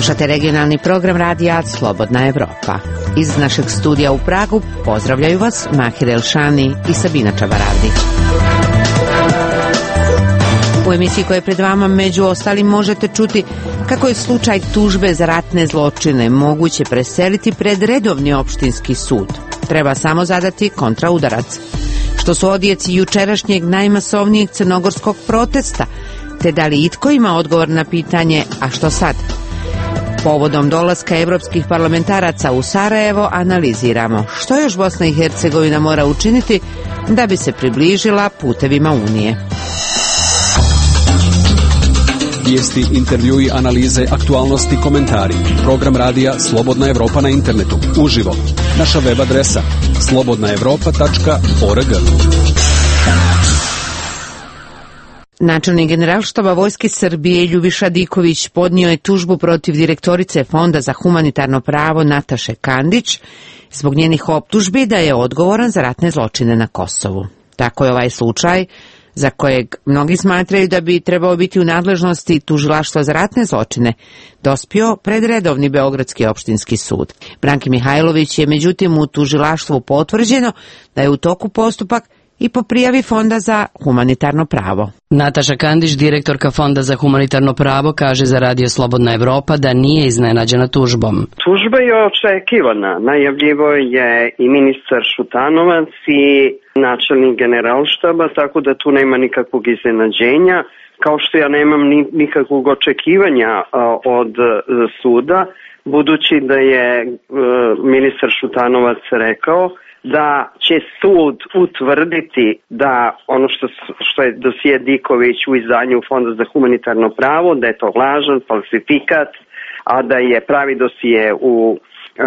Slušate regionalni program radija Slobodna Evropa. Iz našeg studija u Pragu pozdravljaju vas Mahir Elšani i Sabina Čabaravdić. U emisiji koja je pred vama među ostalim možete čuti kako je slučaj tužbe za ratne zločine moguće preseliti pred redovni opštinski sud. Treba samo zadati kontraudarac. Što su odjeci jučerašnjeg najmasovnijeg crnogorskog protesta, te da li itko ima odgovor na pitanje, a što sad? Povodom dolaska evropskih parlamentaraca u Sarajevo analiziramo što još Bosna i Hercegovina mora učiniti da bi se približila putevima Unije. Vijesti, intervjui, analize, aktualnosti, komentari. Program radija Slobodna Evropa na internetu. Uživo. Naša web adresa slobodnaevropa.org. Načelnik Generalštaba Vojske Srbije Ljubiša Diković podnio je tužbu protiv direktorice Fonda za humanitarno pravo Nataše Kandić zbog njenih optužbi da je odgovoran za ratne zločine na Kosovu. Tako je ovaj slučaj, za kojeg mnogi smatraju da bi trebao biti u nadležnosti Tužilaštva za ratne zločine, dospio pred redovni Beogradski opštinski sud. Branki Mihajlović je međutim u tužilaštvu potvrđeno da je u toku postupak i po prijavi Fonda za humanitarno pravo. Nataša Kandić, direktorka Fonda za humanitarno pravo, kaže za Radio Slobodna Evropa da nije iznenađena tužbom. Tužba je očekivana. Najavljivo je i ministar Šutanovac i načelnik Generalštaba, tako da tu nema nikakvog iznenađenja. Kao što ja nemam nikakvog očekivanja od suda, budući da je ministar Šutanovac rekao da će sud utvrditi da ono što je dosije Diković u izdanju Fonda za humanitarno pravo, da je to lažan falsifikat, a da je pravi dosije u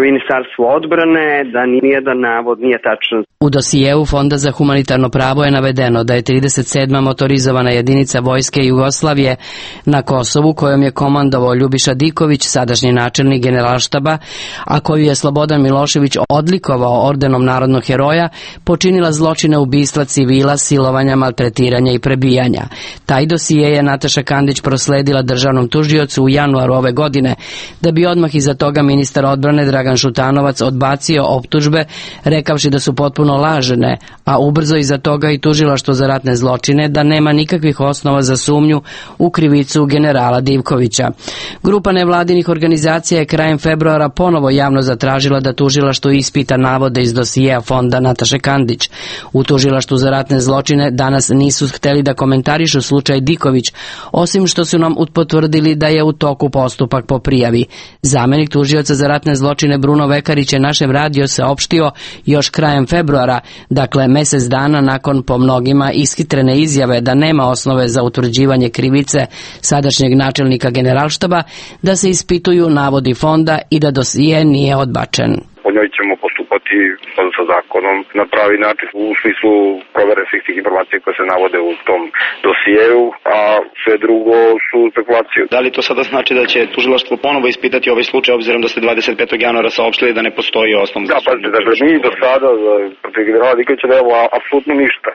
Ministarstvu odbrane, da nijedan navod nije tačan. U dosijeu Fonda za humanitarno pravo je navedeno da je 37. motorizovana jedinica Vojske Jugoslavije na Kosovu, kojom je komandovao Ljubiša Diković, sadašnji načelnik Generalštaba, a koju je Slobodan Milošević odlikovao ordenom narodnog heroja, počinila zločine ubistva civila, silovanja, maltretiranja i prebijanja. Taj dosije je Nataša Kandić prosledila državnom tužiocu u januaru ove godine, da bi odmah iza toga ministar odbrane Dragan Šutanovac odbacio optužbe, rekavši da su potpuno lažene, a ubrzo iza toga i tužilaštvo za ratne zločine da nema nikakvih osnova za sumnju u krivicu generala Divkovića. Grupa nevladinih organizacija je krajem februara ponovo javno zatražila da tužilaštvo ispita navode iz dosijeja Fonda Nataše Kandić. U tužilaštvu za ratne zločine danas nisu hteli da komentarišu slučaj Diković, osim što su nam potvrdili da je u toku postupak po prijavi. Zamenik tužioca za ratne zločine Bruno Vekarić je našem radio saopštio još krajem februara, dakle mesec dana nakon po mnogima ishitrene izjave da nema osnove za utvrđivanje krivice sadašnjeg načelnika Generalštaba, da se ispituju navodi Fonda i da dosije nije odbačen. Po njoj ćemo postupati sa zakonom na pravi način u smislu provere svih tih informacija koje se navode u tom dosijeu, a sve drugo su spekulacije. Da li to sada znači da će tužilaštvo ponovo ispitati ovaj slučaj, obzirom da ste 25. januara saopštili da ne postoji osnov za sumnju? Da, dakle, mi do sada protiv generala Dikovića nemamo apsolutno ništa.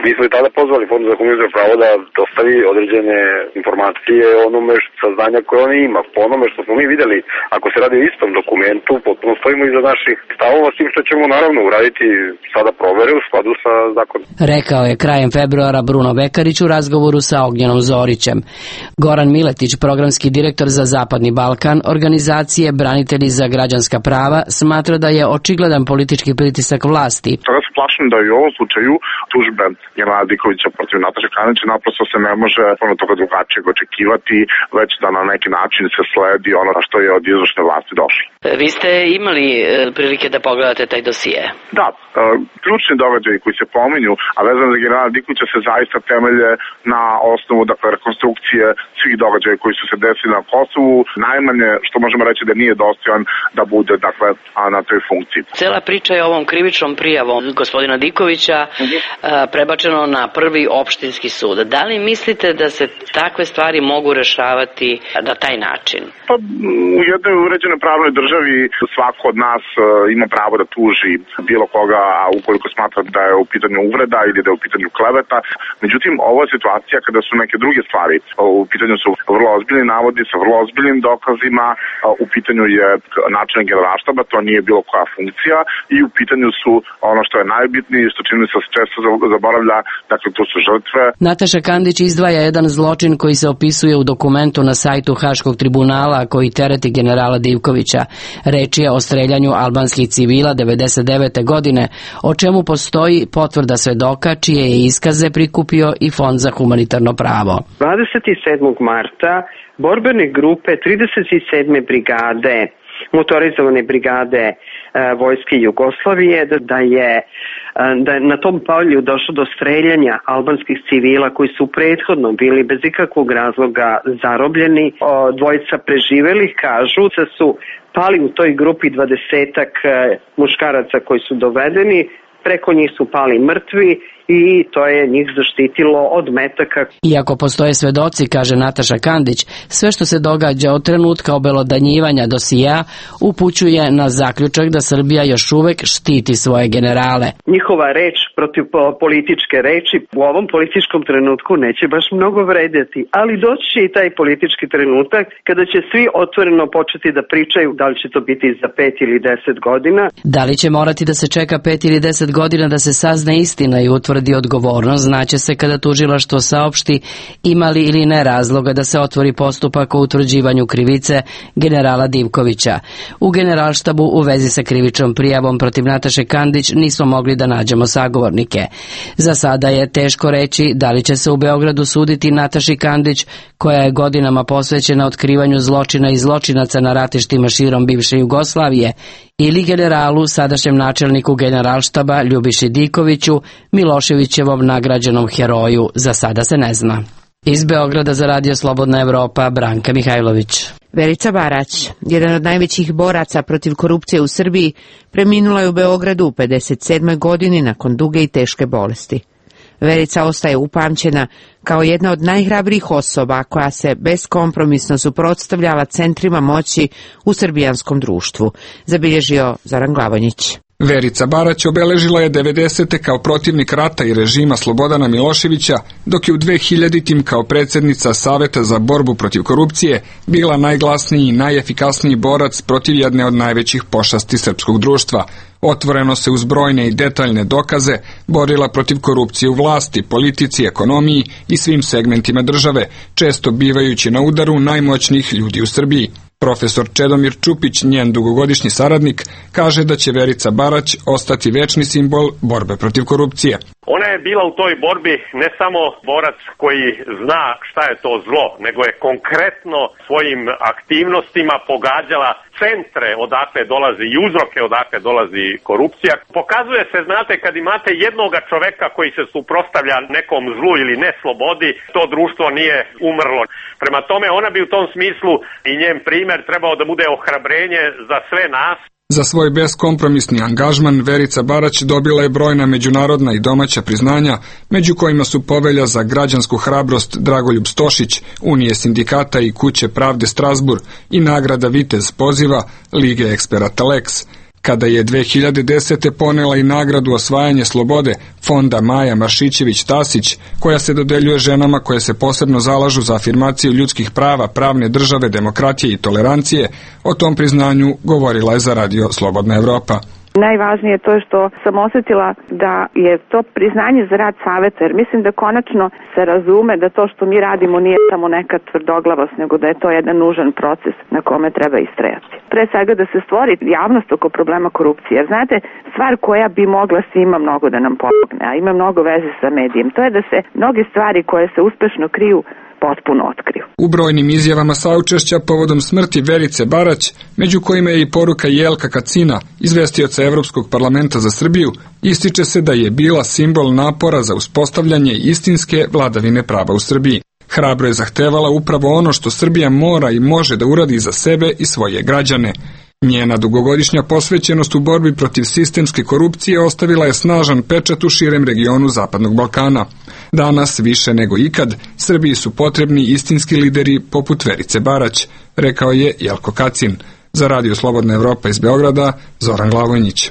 Mi smo i tada pozvali Fond za humanitarno pravo da dostavi određene informacije o onome saznanja koje on ima. Po onome što smo mi videli, ako se radi o istom dokumentu, potpuno stojimo iza naših stavova, s tim što ćemo naravno uraditi sada provere u skladu sa zakonom. Rekao je krajem februara Bruno Vekarić u razgovoru sa Ognjenom Zorićem. Goran Miletić, programski direktor za Zapadni Balkan, organizacije Branitelji za građanska prava, smatra da je očigledan politički pritisak vlasti. Toga se plašim da i u ovom slučaju tužbe generala Dikovića protiv Nataše Kandić naprosto se ne može puno toga drugačijeg očekivati, već da na neki način se sledi ono što je od izvršne vlasti došlo. Vi ste imali prilike da pogledate taj dosije? Da, ključni događaji koji se pominju, a vezano za generala Dikovića, se zaista temelje na osnovu rekonstrukcije svih događaja koji su se desili na Kosovu. Najmanje što možemo reći da nije dostojan da bude na toj funkciji. Cela priča je ovom krivičnom prijavom gospodina Dikovića prebačeno na prvi opštinski sud. Da li mislite da se takve stvari mogu rešavati na taj način? Pa u jednoj uređenoj pravnoj državi svako od nas ima pravo da tuži bilo koga, a ukoliko smatra da je u pitanju uvreda ili da je u pitanju kleveta. Međutim, ovo je situacija kada su neke druge stvari. U pitanju su vrlo ozbiljni navodi sa vrlo ozbiljnim dokazima, u pitanju je načelnik Generalštaba, to nije bilo koja funkcija, i u pitanju su ono što je najbitnije, što čini se često zaboravlja, dakle to su žrtve. Nataša Kandić izdvaja jedan zločin koji se opisuje u dokumentu na sajtu Haškog tribunala koji tereti generala Divkovića. Reč je o streljanju albanskih civila 1999. godine, o čemu postoji potvrda svedoka čije je iskaze prikupio i Fond za humanitarno pravo. 27. marta borbene grupe 37. brigade, motorizovane brigade Vojske Jugoslavije, da je na tom polju došlo do streljanja albanskih civila koji su prethodno bili bez ikakvog razloga zarobljeni. Dvojica preživelih kažu da su pali u toj grupi 20-ak muškaraca koji su dovedeni, preko njih su pali mrtvi i to je njih zaštitilo od metaka. Iako postoje svedoci, kaže Nataša Kandić, sve što se događa od trenutka obelodanjivanja dosija upućuje na zaključak da Srbija još uvek štiti svoje generale. Njihova reč protiv političke reči u ovom političkom trenutku neće baš mnogo vredjeti, ali doći će i taj politički trenutak kada će svi otvoreno početi da pričaju da li će to biti za 5 ili 10 godina. Da li će morati da se čeka 5 ili 10 godina da se sazna istina i utvrdi odgovornost, znaće se kada tužilaštvo saopšti ima li ili ne razloga da se otvori postupak o utvrđivanju krivice generala Divkovića. U Generalštabu u vezi sa krivičnom prijavom protiv Nataše Kandić nismo mogli da nađemo sagovornike. Za sada je teško reći da li će se u Beogradu suditi Nataši Kandić, koja je godinama posvećena otkrivanju zločina i zločinaca na ratištima širom bivše Jugoslavije, ili generalu, sadašnjem načelniku Generalštaba Ljubiši Dikoviću, Miloševićevom nagrađenom heroju, za sada se ne zna. Iz Beograda za Radio Slobodna Evropa, Branka Mihajlović. Verica Barać, jedan od najvećih boraca protiv korupcije u Srbiji, preminula je u Beogradu u 57. godini nakon duge i teške bolesti. Verica ostaje upamćena kao jedna od najhrabrijih osoba koja se beskompromisno suprotstavljala centrima moći u srbijanskom društvu, zabilježio Zoran Glavonjić. Verica Barać obeležila je 90. kao protivnik rata i režima Slobodana Miloševića, dok je u 2000. kao predsjednica Saveta za borbu protiv korupcije bila najglasniji i najefikasniji borac protiv jedne od najvećih pošasti srpskog društva. Otvoreno se uz brojne i detaljne dokaze borila protiv korupcije u vlasti, politici, ekonomiji i svim segmentima države, često bivajući na udaru najmoćnijih ljudi u Srbiji. Profesor Čedomir Čupić, njen dugogodišnji saradnik, kaže da će Verica Barać ostati večni simbol borbe protiv korupcije. Ona je bila u toj borbi ne samo borac koji zna šta je to zlo, nego je konkretno svojim aktivnostima pogađala centre odakle dolazi i uzroke odakle dolazi korupcija. Pokazuje se, znate, kad imate jednoga čoveka koji se suprotstavlja nekom zlu ili neslobodi, to društvo nije umrlo. Prema tome, ona bi u tom smislu i njen primjer trebao da bude ohrabrenje za sve nas. Za svoj beskompromisni angažman Verica Barać dobila je brojna međunarodna i domaća priznanja, među kojima su Povelja za građansku hrabrost Dragoljub Stošić, Unije sindikata i Kuće pravde Strasburg i nagrada Vitez poziva Lige eksperata Lex. Kada je 2010. ponela i nagradu Osvajanje slobode Fonda Maja Maršićević-Tasić, koja se dodeljuje ženama koje se posebno zalažu za afirmaciju ljudskih prava, pravne države, demokratije i tolerancije, o tom priznanju govorila je za Radio Slobodna Evropa. Najvažnije je to što sam osjetila da je to priznanje za rad saveta, jer mislim da konačno se razume da to što mi radimo nije samo neka tvrdoglavost, nego da je to jedan nužan proces na kome treba istrajati. Pre svega da se stvori javnost oko problema korupcije, jer znate, stvar koja bi mogla svima mnogo da nam pomogne, a ima mnogo veze sa medijem, to je da se mnoge stvari koje se uspešno kriju potpuno otkriju. U brojnim izjavama saučešća povodom smrti Verice Barać, među kojima je i poruka Jelka Kacina, izvestioca Evropskog parlamenta za Srbiju, ističe se da je bila simbol napora za uspostavljanje istinske vladavine prava u Srbiji. Hrabro je zahtevala upravo ono što Srbija mora i može da uradi za sebe i svoje građane. Njena dugogodišnja posvećenost u borbi protiv sistemske korupcije ostavila je snažan pečat u širem regionu Zapadnog Balkana. Danas, više nego ikad, Srbiji su potrebni istinski lideri poput Verice Barać, rekao je Jelko Kacin. Za Radio Slobodna Evropa iz Beograda, Zoran Glavojnić.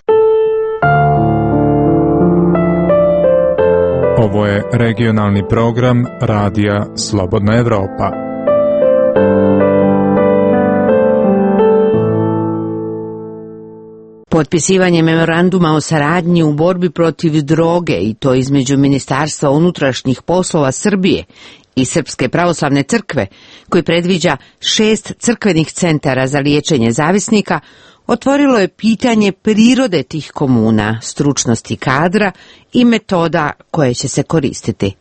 Ovo je regionalni program Radija Slobodna Evropa. Potpisivanje memoranduma o saradnji u borbi protiv droge, i to između Ministarstva unutrašnjih poslova Srbije i Srpske pravoslavne crkve, koji predviđa 6 crkvenih centara za liječenje zavisnika, otvorilo je pitanje prirode tih komuna, stručnosti kadra i metoda koje će se koristiti.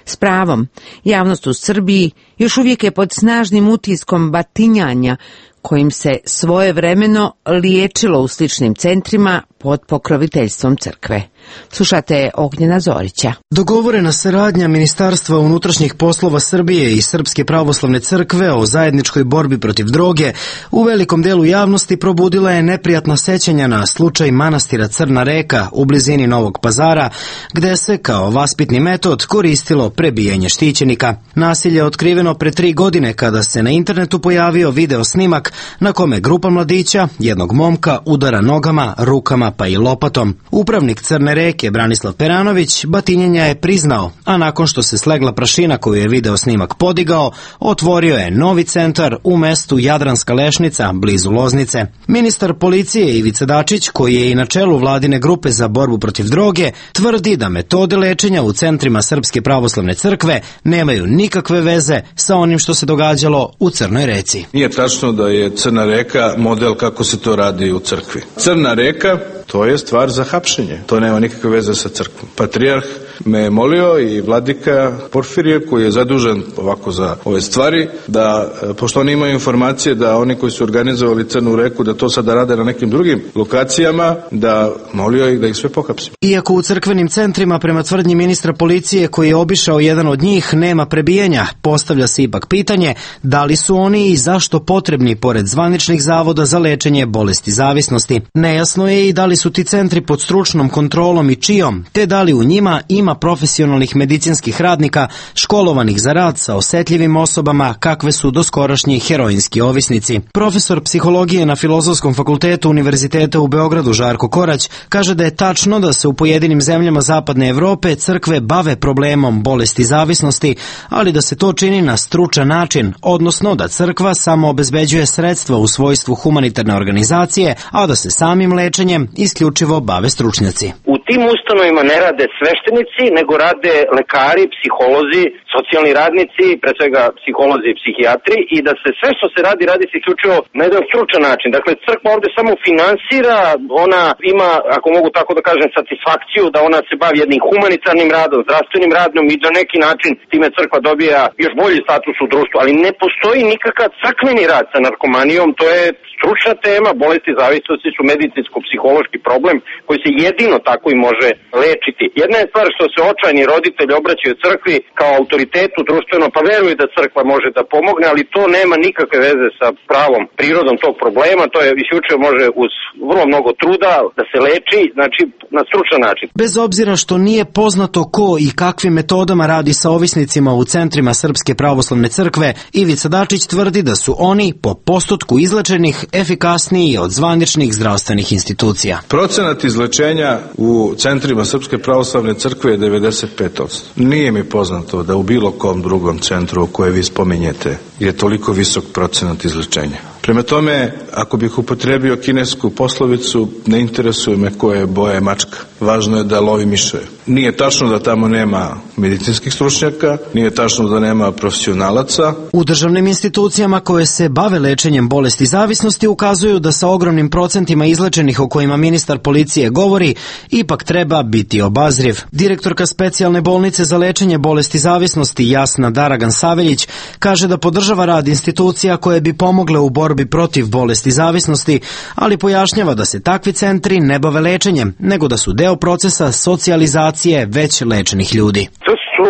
S pravom, javnost u Srbiji još uvijek je pod snažnim utiskom batinjanja kojim se svojevremeno liječilo u sličnim centrima pod pokroviteljstvom crkve. Slušate Ognjena Zorića. Dogovorena saradnja Ministarstva unutrašnjih poslova Srbije i Srpske pravoslavne crkve o zajedničkoj borbi protiv droge u velikom delu javnosti probudila je neprijatna sećanja na slučaj manastira Crna Reka u blizini Novog Pazara, gde se kao vaspitni metod koristilo prebijanje štićenika. Nasilje je otkriveno pre 3 godine kada se na internetu pojavio video snimak na kome grupa mladića, jednog momka, udara nogama, rukama pa i lopatom. Upravnik Crne Reke Branislav Peranović batinjenja je priznao, a nakon što se slegla prašina koju je video snimak podigao, otvorio je novi centar u mestu Jadranska Lešnica, blizu Loznice. Ministar policije Ivica Dačić, koji je i na čelu vladine grupe za borbu protiv droge, tvrdi da metode lečenja u centrima Srpske pravoslavne crkve nemaju nikakve veze sa onim što se događalo u Crnoj Reci. Nije tačno da je Crna Reka model kako se to radi u crkvi. Crna Reka, to je stvar za hapšenje. To nema nikakve veze sa crkvom. Patrijarh me je molio i vladika Porfirije, koji je zadužen ovako za ove stvari, da, pošto oni imaju informacije da oni koji su organizovali Crnu Reku, da to sada rade na nekim drugim lokacijama, da molio ih da ih sve pohapsim. Iako u crkvenim centrima, prema tvrdnji ministra policije koji je obišao jedan od njih, nema prebijanja, postavlja se ipak pitanje da li su oni i zašto potrebni pored zvaničnih zavoda za lečenje bolesti zavisnosti. Nejasno je i da li su ti centri pod stručnom kontrolom i čijom, te da li u njima ima profesionalnih medicinskih radnika školovanih za rad sa osetljivim osobama kakve su doskorašnji heroinski ovisnici. Profesor psihologije na Filozofskom fakultetu Univerziteta u Beogradu Žarko Korać kaže da je tačno da se u pojedinim zemljama Zapadne Evrope crkve bave problemom bolesti zavisnosti, ali da se to čini na stručan način, odnosno da crkva samo obezbeđuje sredstva u svojstvu humanitarne organizacije, a da se samim lečenjem isključivo bave stručnjaci. U tim ustanovima ne rade sveštenici, nego rade lekari, psiholozi, socijalni radnici, pre svega psiholozi i psihijatri, i da se sve što se radi se isključivo na jedan stručan način. Dakle, crkva ovde samo finansira, ona ima, ako mogu tako da kažem, satisfakciju da ona se bavi jednim humanitarnim radom, zdravstvenim radom i na neki način time crkva dobija još bolji status u društvu, ali ne postoji nikakav crkveni rad sa narkomanijom, to je stručna tema, bolesti zavisnosti su medicinsko-psihološki problem koji se jedino tako i može lečiti. Jedna je stvar što se očajni roditelji obraćaju crkvi kao autoritetu društveno, pa veruju da crkva može da pomogne, ali to nema nikakve veze sa pravom prirodom tog problema, to je isključivo može uz vrlo mnogo truda da se leči, znači na stručan način. Bez obzira što nije poznato ko i kakvim metodama radi sa ovisnicima u centrima Srpske pravoslavne crkve, Ivica Dačić tvrdi da su oni po postotku izlečenih efikasniji od zvaničnih zdravstvenih institucija. Procenat izlečenja u centrima Srpske pravoslavne crkve je 95%. Nije mi poznato da u bilo kom drugom centru koje vi spominjete je toliko visok procenat izlečenja. Prema tome, ako bih upotrebio kinesku poslovicu, ne interesuje me koje boje mačka. Važno je da lovi miševe. Nije tačno da tamo nema medicinskih stručnjaka, nije tačno da nema profesionalaca. U državnim institucijama koje se bave lečenjem bolesti zavisnosti ukazuju da sa ogromnim procentima izlečenih o kojima ministar policije govori, ipak treba biti obazriv. Direktorka specijalne bolnice za lečenje bolesti zavisnosti Jasna Daragan Saveljić kaže da podržava rad institucija koje bi pomogle u borbi protiv bolesti zavisnosti, ali pojašnjava da se takvi centri ne bave lečenjem, nego da su deo procesa socijalizacije već lečenih ljudi. To su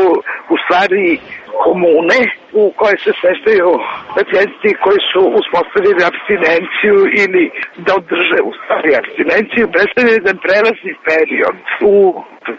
u stvari komune u kojoj se smeštaju pacijenti koji su uspostavili apstinenciju ili da održe u stvari apstinenciju, predstavlja jedan prelazni period u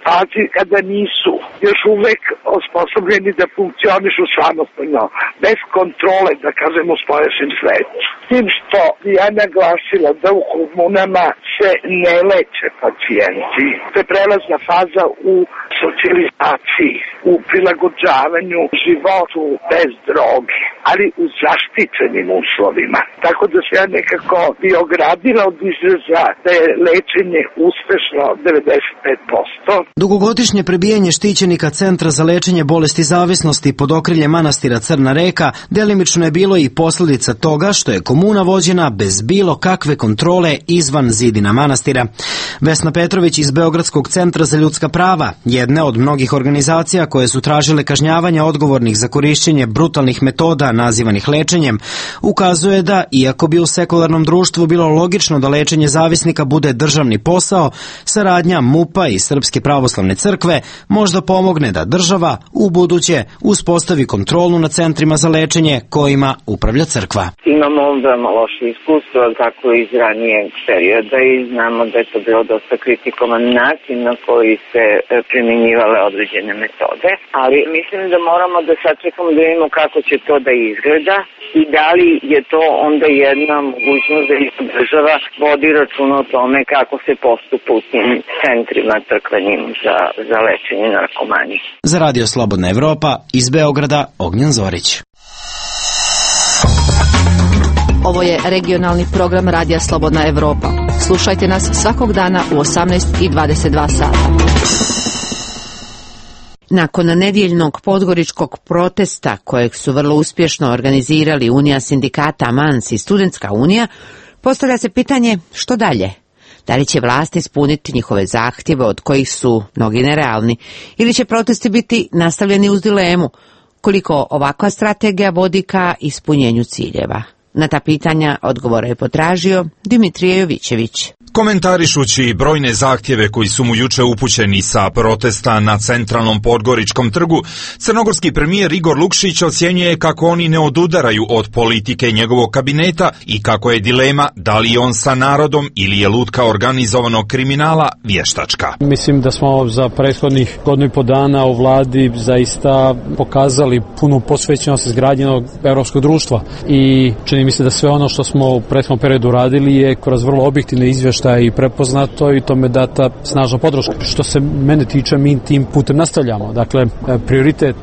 fazi kada nisu još uvek osposobljeni da funkcionišu samostalno, bez kontrole, da kažem, u spoljašnjem svetu. Tim što ja naglasila da u komunama se ne leče pacijenti. To je prelazna faza u socijalizaciji, u prilagođavanju životu bez droge, ali u zaštićenim uslovima. Tako da se ja nekako bi ogradila od izraza da je lečenje uspešno 95%. Dugogodišnje prebijanje štićenika Centra za lečenje bolesti zavisnosti pod okriljem manastira Crna Reka delimično je bilo i posljedica toga što je komuna vođena bez bilo kakve kontrole izvan zidina manastira. Vesna Petrović iz Beogradskog centra za ljudska prava, jedne od mnogih organizacija koje su tražile kažnjavanja odgovornih za korišćenje brutalnih metoda nazivanih lečenjem, ukazuje da, iako bi u sekularnom društvu bilo logično da lečenje zavisnika bude državni posao, saradnja MUP-a i Srpske pravoslavne crkve možda pomogne da država u buduće uspostavi kontrolu nad centrima za lečenje kojima upravlja crkva. Imamo veoma loše iskustvo, tako iz ranijeg perioda, i znamo da je to bilo dosta kritikovan način na koji se primjenjivale određene metode, ali mislim da moramo da sačekamo da vidimo kako će to da izgleda i da li je to onda jedna mogućnost da država vodi računa o tome kako se postupa u tim centrima crkvenim za lečenje narkomanije. Za Radio Slobodna Evropa iz Beograda, Ognjen Zorić. Ovo je regionalni program Radija Slobodna Evropa. Slušajte nas svakog dana u 18:22 sata. Nakon nedjeljnog podgoričkog protesta, kojeg su vrlo uspješno organizirali Unija sindikata Mans i Studentska unija, postavlja se pitanje što dalje. Da li će vlast ispuniti njihove zahtjeve, od kojih su mnogi nerealni, ili će protesti biti nastavljeni uz dilemu koliko ovakva strategija vodi ka ispunjenju ciljeva? Na ta pitanja odgovore je potražio Dimitrije Jovićević. Komentarišući brojne zahtjeve koji su mu juče upućeni sa protesta na centralnom Podgoričkom trgu, crnogorski premijer Igor Lukšić ocjenjuje kako oni ne odudaraju od politike njegovog kabineta i kako je dilema da li je on sa narodom ili je lutka organizovanog kriminala vještačka. Mislim da smo za prethodnih godinu i po dana u vladi zaista pokazali punu posvećenost izgrađenog evropskog društva i čini mi se da sve ono što smo u prethodnom periodu radili je kroz vrlo objektivne izvještaje i prepoznato i tome data snažna podrška. Što se mene tiče, mi tim putem nastavljamo. Dakle, prioritet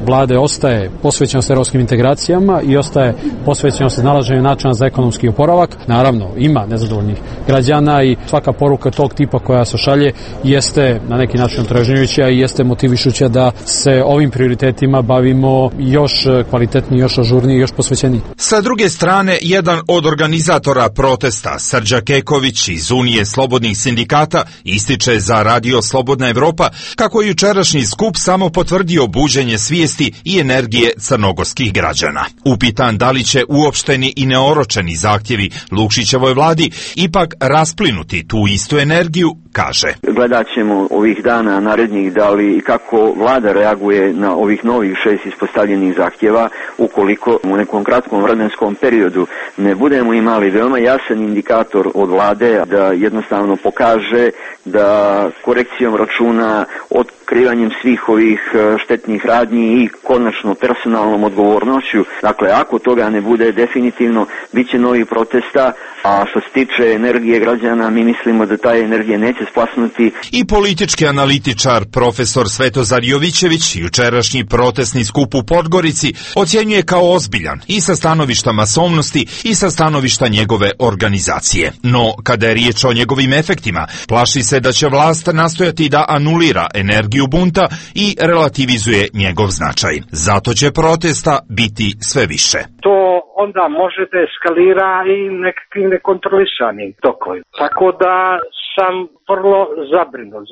vlade ostaje posvećenost evropskim integracijama i ostaje posvećenost iznalaženju načina za ekonomski oporavak. Naravno, ima nezadovoljnih građana i svaka poruka tog tipa koja se šalje jeste na neki način otražnjujuća i jeste motivišuća da se ovim prioritetima bavimo još kvalitetnije, još ažurnije, još posvećenije. Sa druge strane, jedan od organizatora protesta, Srđa Keković iz Unije slobodnih sindikata, ističe za Radio Slobodna Evropa kako je jučerašnji skup samo potvrdio buđenje svijesti i energije crnogorskih građana. Upitan da li će uopšteni i neoročeni zahtjevi Lukšićevoj vladi ipak rasplinuti tu istu energiju, kaže. Gledat ćemo ovih dana narednih da li i kako vlada reaguje na ovih novih 6 ispostavljenih zahtjeva, ukoliko u nekom kratkom vremenskom periodu ne budemo imali veoma jasan indikator od vlade da jednostavno pokaže da korekcijom računa, otkrivanjem svih ovih štetnih radnji i konačno personalnom odgovornošću. Dakle, ako toga ne bude, definitivno bit će novih protesta, a što se tiče energije građana, mi mislimo da ta energija neće splasnuti. I politički analitičar profesor Svetozar Jovićević jučerašnji protestni skup u Podgorici ocjenjuje kao ozbiljan i sa stanovišta masovnosti i sa stanovišta njegove organizacije. No, kada je riječ o njegovim efektima, plaši se da će vlast nastojati da anulira energiju bunta i relativizuje njegov značaj. Zato će protesta biti sve više. To onda može da eskalira i nekakvim nekontrolisanim tokovima. Tako da sam vrlo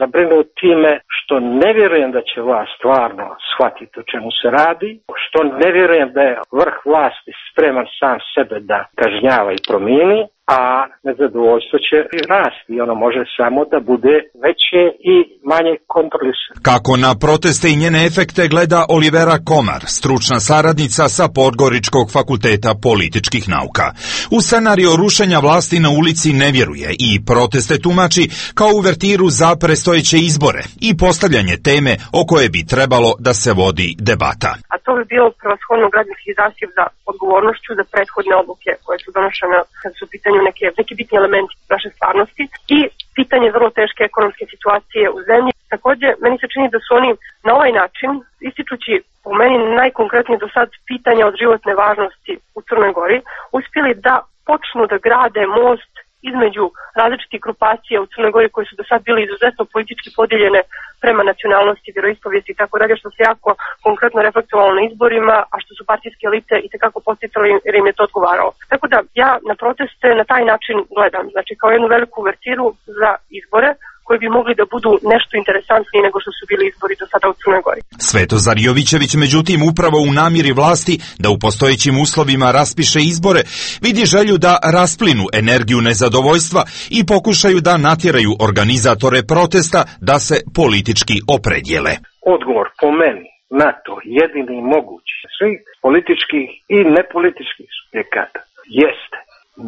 zabrinut time što ne vjerujem da će vlast stvarno shvatiti o čemu se radi, što ne vjerujem da je vrh vlasti spreman sam sebe da kažnjava i promijeni, a nezadovoljstvo će rasti i ono može samo da bude veće i manje kontrolisani. Kako na proteste i njene efekte gleda Olivera Komar, stručna saradnica sa Podgoričkog fakulteta političkih nauka. U scenario rušenja vlasti na ulici ne vjeruje i proteste tumači kao uvertiru za predstojeće izbore i postavljanje teme o koje bi trebalo da se vodi debata. A to bi bilo prevashodno građanski zahtjev za odgovornošću za prethodne odluke koje su donošene kad su u pitanju neki bitni elementi naše stvarnosti i pitanje vrlo teške ekonomske situacije u zemlji. Takođe, meni se čini da su oni na ovaj način, ističući po meni najkonkretnije do sad pitanja od životne važnosti u Crnoj Gori, uspjeli da počnu da grade most između različitih grupacija u Crnoj Gori koji su do sad bili izuzetno politički podijeljene prema nacionalnosti, vjeroispovijesti i tako dalje, što se jako konkretno reflektovalo na izborima, a što su partijske elite i tekako posticali jer im je to odgovaralo. Tako da ja na proteste na taj način gledam, znači kao jednu veliku uvertiru za izbore koji bi mogli da budu nešto interesantniji nego što su bili izbori do sada u Crnoj Gori. Svetozar Jovićević, međutim, upravo u namjeri vlasti da u postojećim uslovima raspiše izbore, vidi želju da rasplinu energiju nezadovoljstva i pokušaju da natjeraju organizatore protesta da se politički opredjele. Odgovor po meni na to jedini mogući svih političkih i nepolitičkih subjekata jeste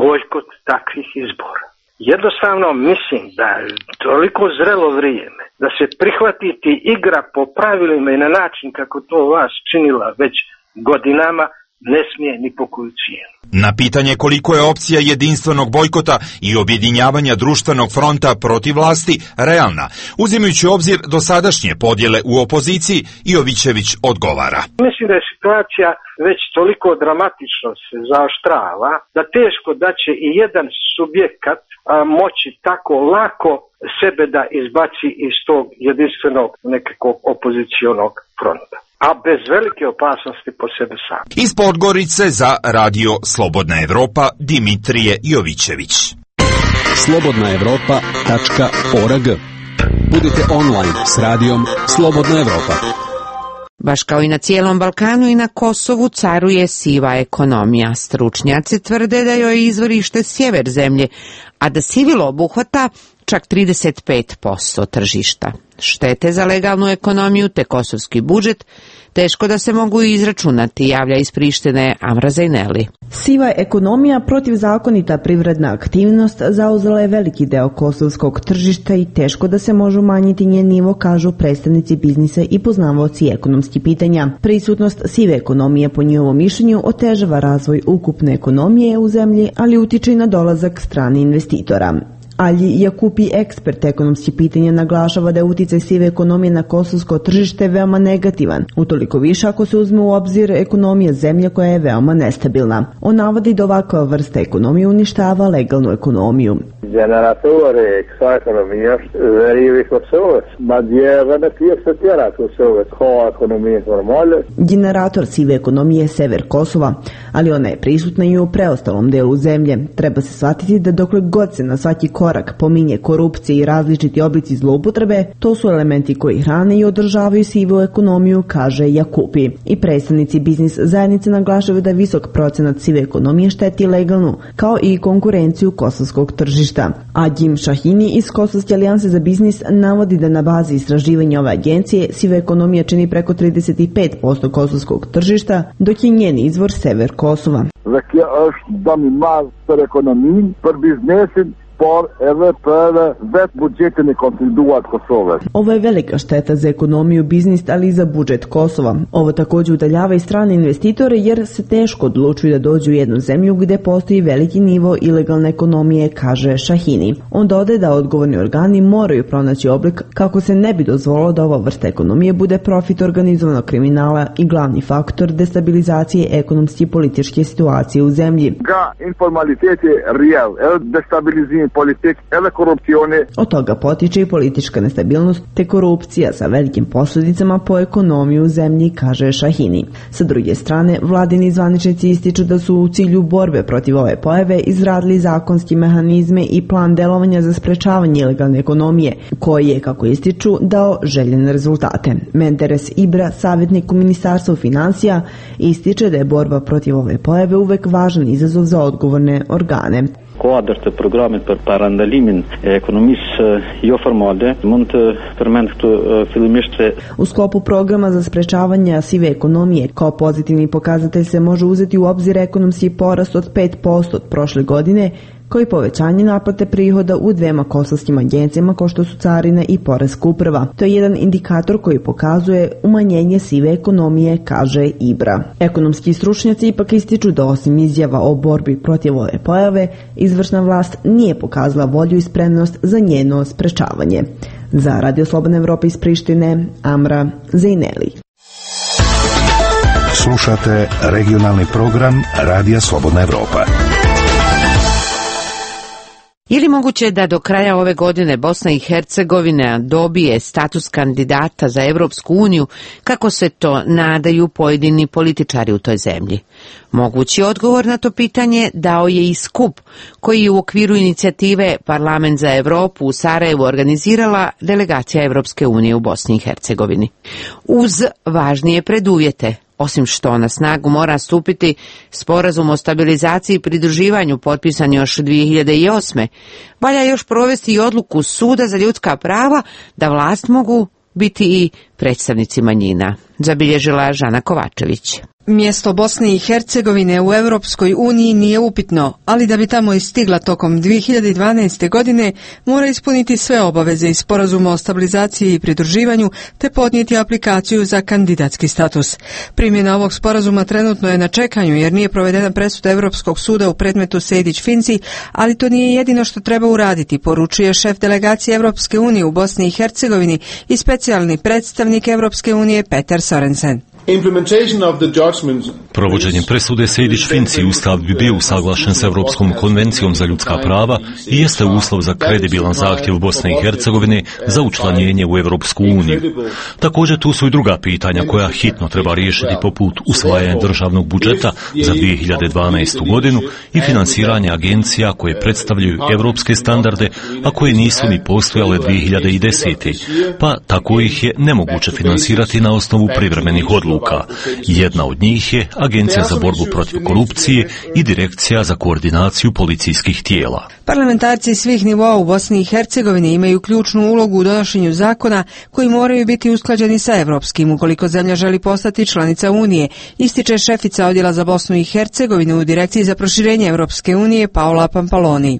bojkot takvih izbora. Jednostavno mislim da je toliko zrelo vrijeme da se prihvatiti igra po pravilima i na način kako to vas činila već godinama ne smije ni po koju cijenu. Na pitanje koliko je opcija jedinstvenog bojkota i objedinjavanja društvenog fronta protiv vlasti realna, uzimajući obzir dosadašnje podjele u opoziciji, Jovićević odgovara. Mislim da je situacija već toliko dramatično se zaoštrava da teško da će i jedan subjekat moći tako lako sebe da izbaci iz tog jedinstvenog nekakvog opozicionog fronta, a bez velike opasnosti po sebe sam. Iz Podgorice za Radio Slobodna Evropa, Dimitrije Jovićević. slobodnaevropa.org. Budite online s radijom Slobodna Evropa. Baš kao i na cijelom Balkanu i na Kosovu caruje siva ekonomija. Stručnjaci tvrde da joj je izvorište sjever zemlje, a da sivilo obuhvata čak 35% tržišta. Štete za legalnu ekonomiju te kosovski budžet teško da se mogu izračunati, javlja iz Prištine Amra Zajneli. Siva ekonomija, protivzakonita privredna aktivnost, zauzela je veliki deo kosovskog tržišta i teško da se može umanjiti njen nivo, kažu predstavnici biznisa i poznavaoci ekonomskih pitanja. Prisutnost sive ekonomije, po njihovom mišljenju, otežava razvoj ukupne ekonomije u zemlji, ali utiče i na dolazak stranih investitora. Alji Jakupi, ekspert ekonomskih pitanja, naglašava da je uticaj sive ekonomije na kosovsko tržište veoma negativan, utoliko više ako se uzme u obzir ekonomija zemlje koja je veoma nestabilna. On navodi da ovakva vrsta ekonomije uništava legalnu ekonomiju. Generatore kësaj ekonomie është verivi i Kosovës, madje edhe në pjesë të tjera të Kosovës ka ekonomije normale. Generator sive ekonomije je sever Kosova, ali ona je prisutna i u preostalom delu zemlje. Treba se shvatiti da dokle god se na svaki korak pominje korupcija i različiti oblici zloupotrebe, to su elementi koji hrane i održavaju sivu ekonomiju, kaže Jakupi. I predstavnici biznis zajednice naglašavaju da visok procenat sive ekonomije šteti legalnu, kao i konkurenciju kosovskog tržišta. Adjim Šahini iz Kosovske alijanse za biznis navodi da na bazi istraživanja ove agencije siva ekonomija čini preko 35% kosovskog tržišta, dok je njen izvor sever Kosova. Dhe kjo është dëm i madh për ekonominë, për biznesin, por edhe për vetë budžetin e konsoliduar Kosovës. Ovo je velika šteta za ekonomiju, biznis, ali i za budžet Kosova. Ovo također udaljava i strane investitore jer se teško odlučuju da dođu u jednu zemlju gde postoji veliki nivo ilegalne ekonomije, kaže Šahini. On dodaje da odgovorni organi moraju pronaći oblik kako se ne bi dozvolilo da ova vrsta ekonomije bude profit organizovanog kriminala i glavni faktor destabilizacije ekonomske i političke situacije u zemlji. Ka informaliteti rjell, edhe destabilizim politik, edhe korupcioni. Od toga potiče i politička nestabilnost te korupcija sa velikim posljedicama po ekonomiju u zemlji, kaže Šahini. Sa druge strane, vladini zvaničnici ističu da su u cilju borbe protiv ove pojave izradili zakonski mehanizme i plan delovanja za sprečavanje ilegalne ekonomije, koji je, kako ističu, dao željene rezultate. Menderes Ibra, savjetnik u Ministarstvu financija, ističe da je borba protiv ove pojave uvek važan izazov za odgovorne organe. quadrët të programit për parandalimin e ekonomisë jo formale mund të përmend këtu fillimisht se u sklopu programa za sprečavanje sive ekonomije kao pozitivni pokazatelj se može uzeti u obzir ekonomski porast od 5% od prošle godine, kao i povećanje naplate prihoda u dvema kosovskim agencijama kao što su Carina i Poreska uprava. To je jedan indikator koji pokazuje umanjenje sive ekonomije, kaže Ibra. Ekonomski stručnjaci ipak ističu da osim izjava o borbi protiv ove pojave, izvršna vlast nije pokazala volju i spremnost za njeno sprečavanje. Za Radio Slobodna Evropa iz Prištine, Amra Zejneli. Slušate regionalni program Radija Slobodna Evropa. Je li moguće da do kraja ove godine Bosna i Hercegovina dobije status kandidata za Evropsku uniju, kako se to nadaju pojedini političari u toj zemlji? Mogući odgovor na to pitanje dao je i skup koji je u okviru inicijative Parlament za Evropu u Sarajevu organizirala delegacija Evropske unije u Bosni i Hercegovini. Uz važnije preduvjete, osim što na snagu mora stupiti sporazum o stabilizaciji i pridruživanju potpisan još 2008. valja još provesti i odluku Suda za ljudska prava da vlast mogu biti i predstavnici manjina, zabilježila Žana Kovačević. Mjesto Bosne i Hercegovine u Europskoj uniji nije upitno, ali da bi tamo i stigla tokom 2012. godine mora ispuniti sve obaveze iz sporazuma o stabilizaciji i pridruživanju te podnijeti aplikaciju za kandidatski status. Primjena ovog sporazuma trenutno je na čekanju jer nije provedena presuda Europskog suda u predmetu Sejdić-Finci, ali to nije jedino što treba uraditi, poručuje šef delegacije Europske unije u Bosni i Hercegovini i specijalni predstavnik Europske unije Peter Sorensen. Provođenjem presude Sejdić-Finci Ustav bi bio usaglašen s Europskom konvencijom za ljudska prava i jeste uslov za kredibilan zahtjev Bosne i Hercegovine za učlanjenje u Europsku uniju. Također tu su i druga pitanja koja hitno treba riješiti poput usvajanja državnog budžeta za 2012. godinu i finansiranje agencija koje predstavljaju europske standarde, a koje nisu ni postojale 2010. Pa tako ih je nemoguće finansirati na osnovu privremenih odluka. Jedna od njih je Agencija za borbu protiv korupcije i Direkcija za koordinaciju policijskih tijela. Parlamentarci svih nivoa u Bosni i Hercegovini imaju ključnu ulogu u donošenju zakona koji moraju biti usklađeni sa evropskim ukoliko zemlja želi postati članica Unije, ističe šefica odjela za Bosnu i Hercegovinu u Direkciji za proširenje Evropske unije Paola Pampaloni.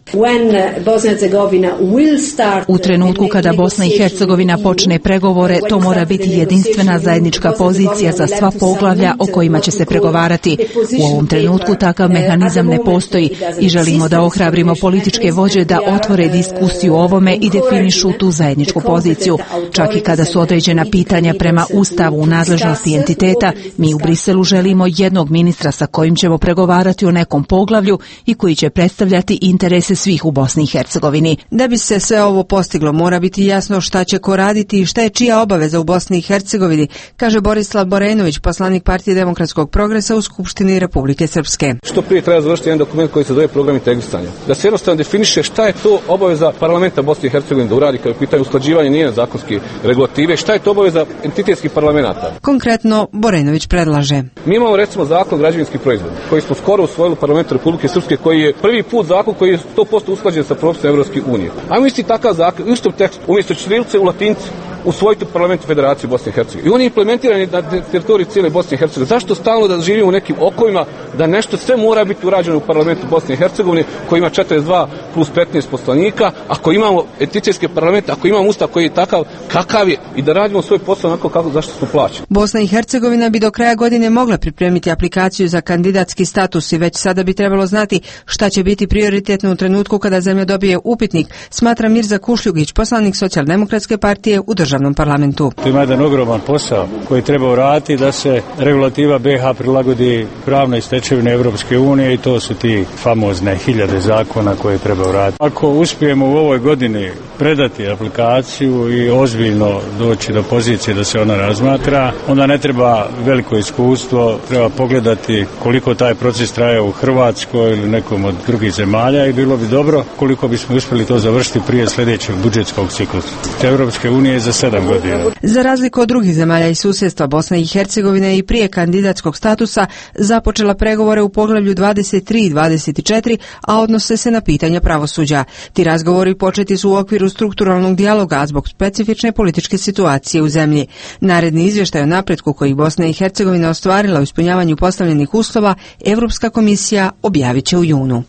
U trenutku kada Bosna i Hercegovina počne pregovore, to mora biti jedinstvena zajednička pozicija za sva poglavlja o kojima će se pregovarati. U ovom trenutku takav mehanizam ne postoji i želimo da ohrabrimo političke vođe da otvore diskusiju o ovome i definišu tu zajedničku poziciju. Čak i kada su određena pitanja prema Ustavu u nadležnosti entiteta, mi u Briselu želimo jednog ministra sa kojim ćemo pregovarati o nekom poglavlju i koji će predstavljati interese svih u Bosni i Hercegovini. Da bi se sve ovo postiglo, mora biti jasno šta će ko raditi i šta je čija obaveza u Bosni i Hercegovini, kaže Borislav Borenović, poslanik Partije demokratskog progresa u Skupštini Republike Srpske. Što prije treba završiti jedan dokument koji se zove program integrisanja. Da se jednostavno definiše šta je to obaveza parlamenta Bosne i Hercegovine da uradi kada je pitanje usklađivanja njene zakonske regulative, šta je to obaveza entitetskih parlamenata. Konkretno, Borenović predlaže. Mi imamo recimo zakon građevinskih proizvoda koji smo skoro usvojili u parlamentu Republike Srpske, koji je prvi put zakon koji je 100% usklađen sa propisima Evropske unije. Ajmo isti takav zakon, u istom tekstu, umjesto ćirilice u latinci, usvojiti u parlamentu Federacije Bosne i Hercegovine. I on je implementiran na teritoriji cijele Bosne i Hercegovine. Zašto stalno da živimo u nekim okovima, da nešto sve mora biti urađeno u parlamentu Bosne i Hercegovine, koji ima 42 plus 15 poslanika, ako imamo entitetske parlamente, ako imamo ustav koji je takav kakav je i da radimo svoj posao onako kako zašto smo plaćeni. Bosna i Hercegovina bi do kraja godine mogla pripremiti aplikaciju za kandidatski status i već sada bi trebalo znati šta će biti prioritetno u trenutku kada zemlja dobije upitnik, smatra Mirza Kušljugić, poslanik Socijaldemokratske partije u državnom parlamentu. To ima jedan ogroman posao koji treba uraditi da se regulativa BiH prilagodi pravnoj stečevini Evropske unije i to su ti famozne 1000 zakona koje treba uraditi. Ako uspijemo u ovoj godini predati aplikaciju i ozbiljno doći do pozicije da se ona razmatra, onda ne treba veliko iskustvo, treba pogledati koliko taj proces traje u Hrvatskoj ili nekom od drugih zemalja i bilo bi dobro koliko bismo uspjeli to završiti prije sljedećeg budžetskog ciklusa. Evropske unije za 7 godina. Za razliku od drugih zemalja i susjedstva, Bosna i Hercegovina je i prije kandidatskog statusa započela pregovore u poglavlju 23 i 24, a odnose se na pitanja pravosuđa. Ti razgovori početi su u okviru strukturalnog dijaloga zbog specifične političke situacije u zemlji. Naredni izvještaj o napretku koji Bosna i Hercegovina ostvarila u ispunjavanju postavljenih uslova, Evropska komisija objavit će u junu.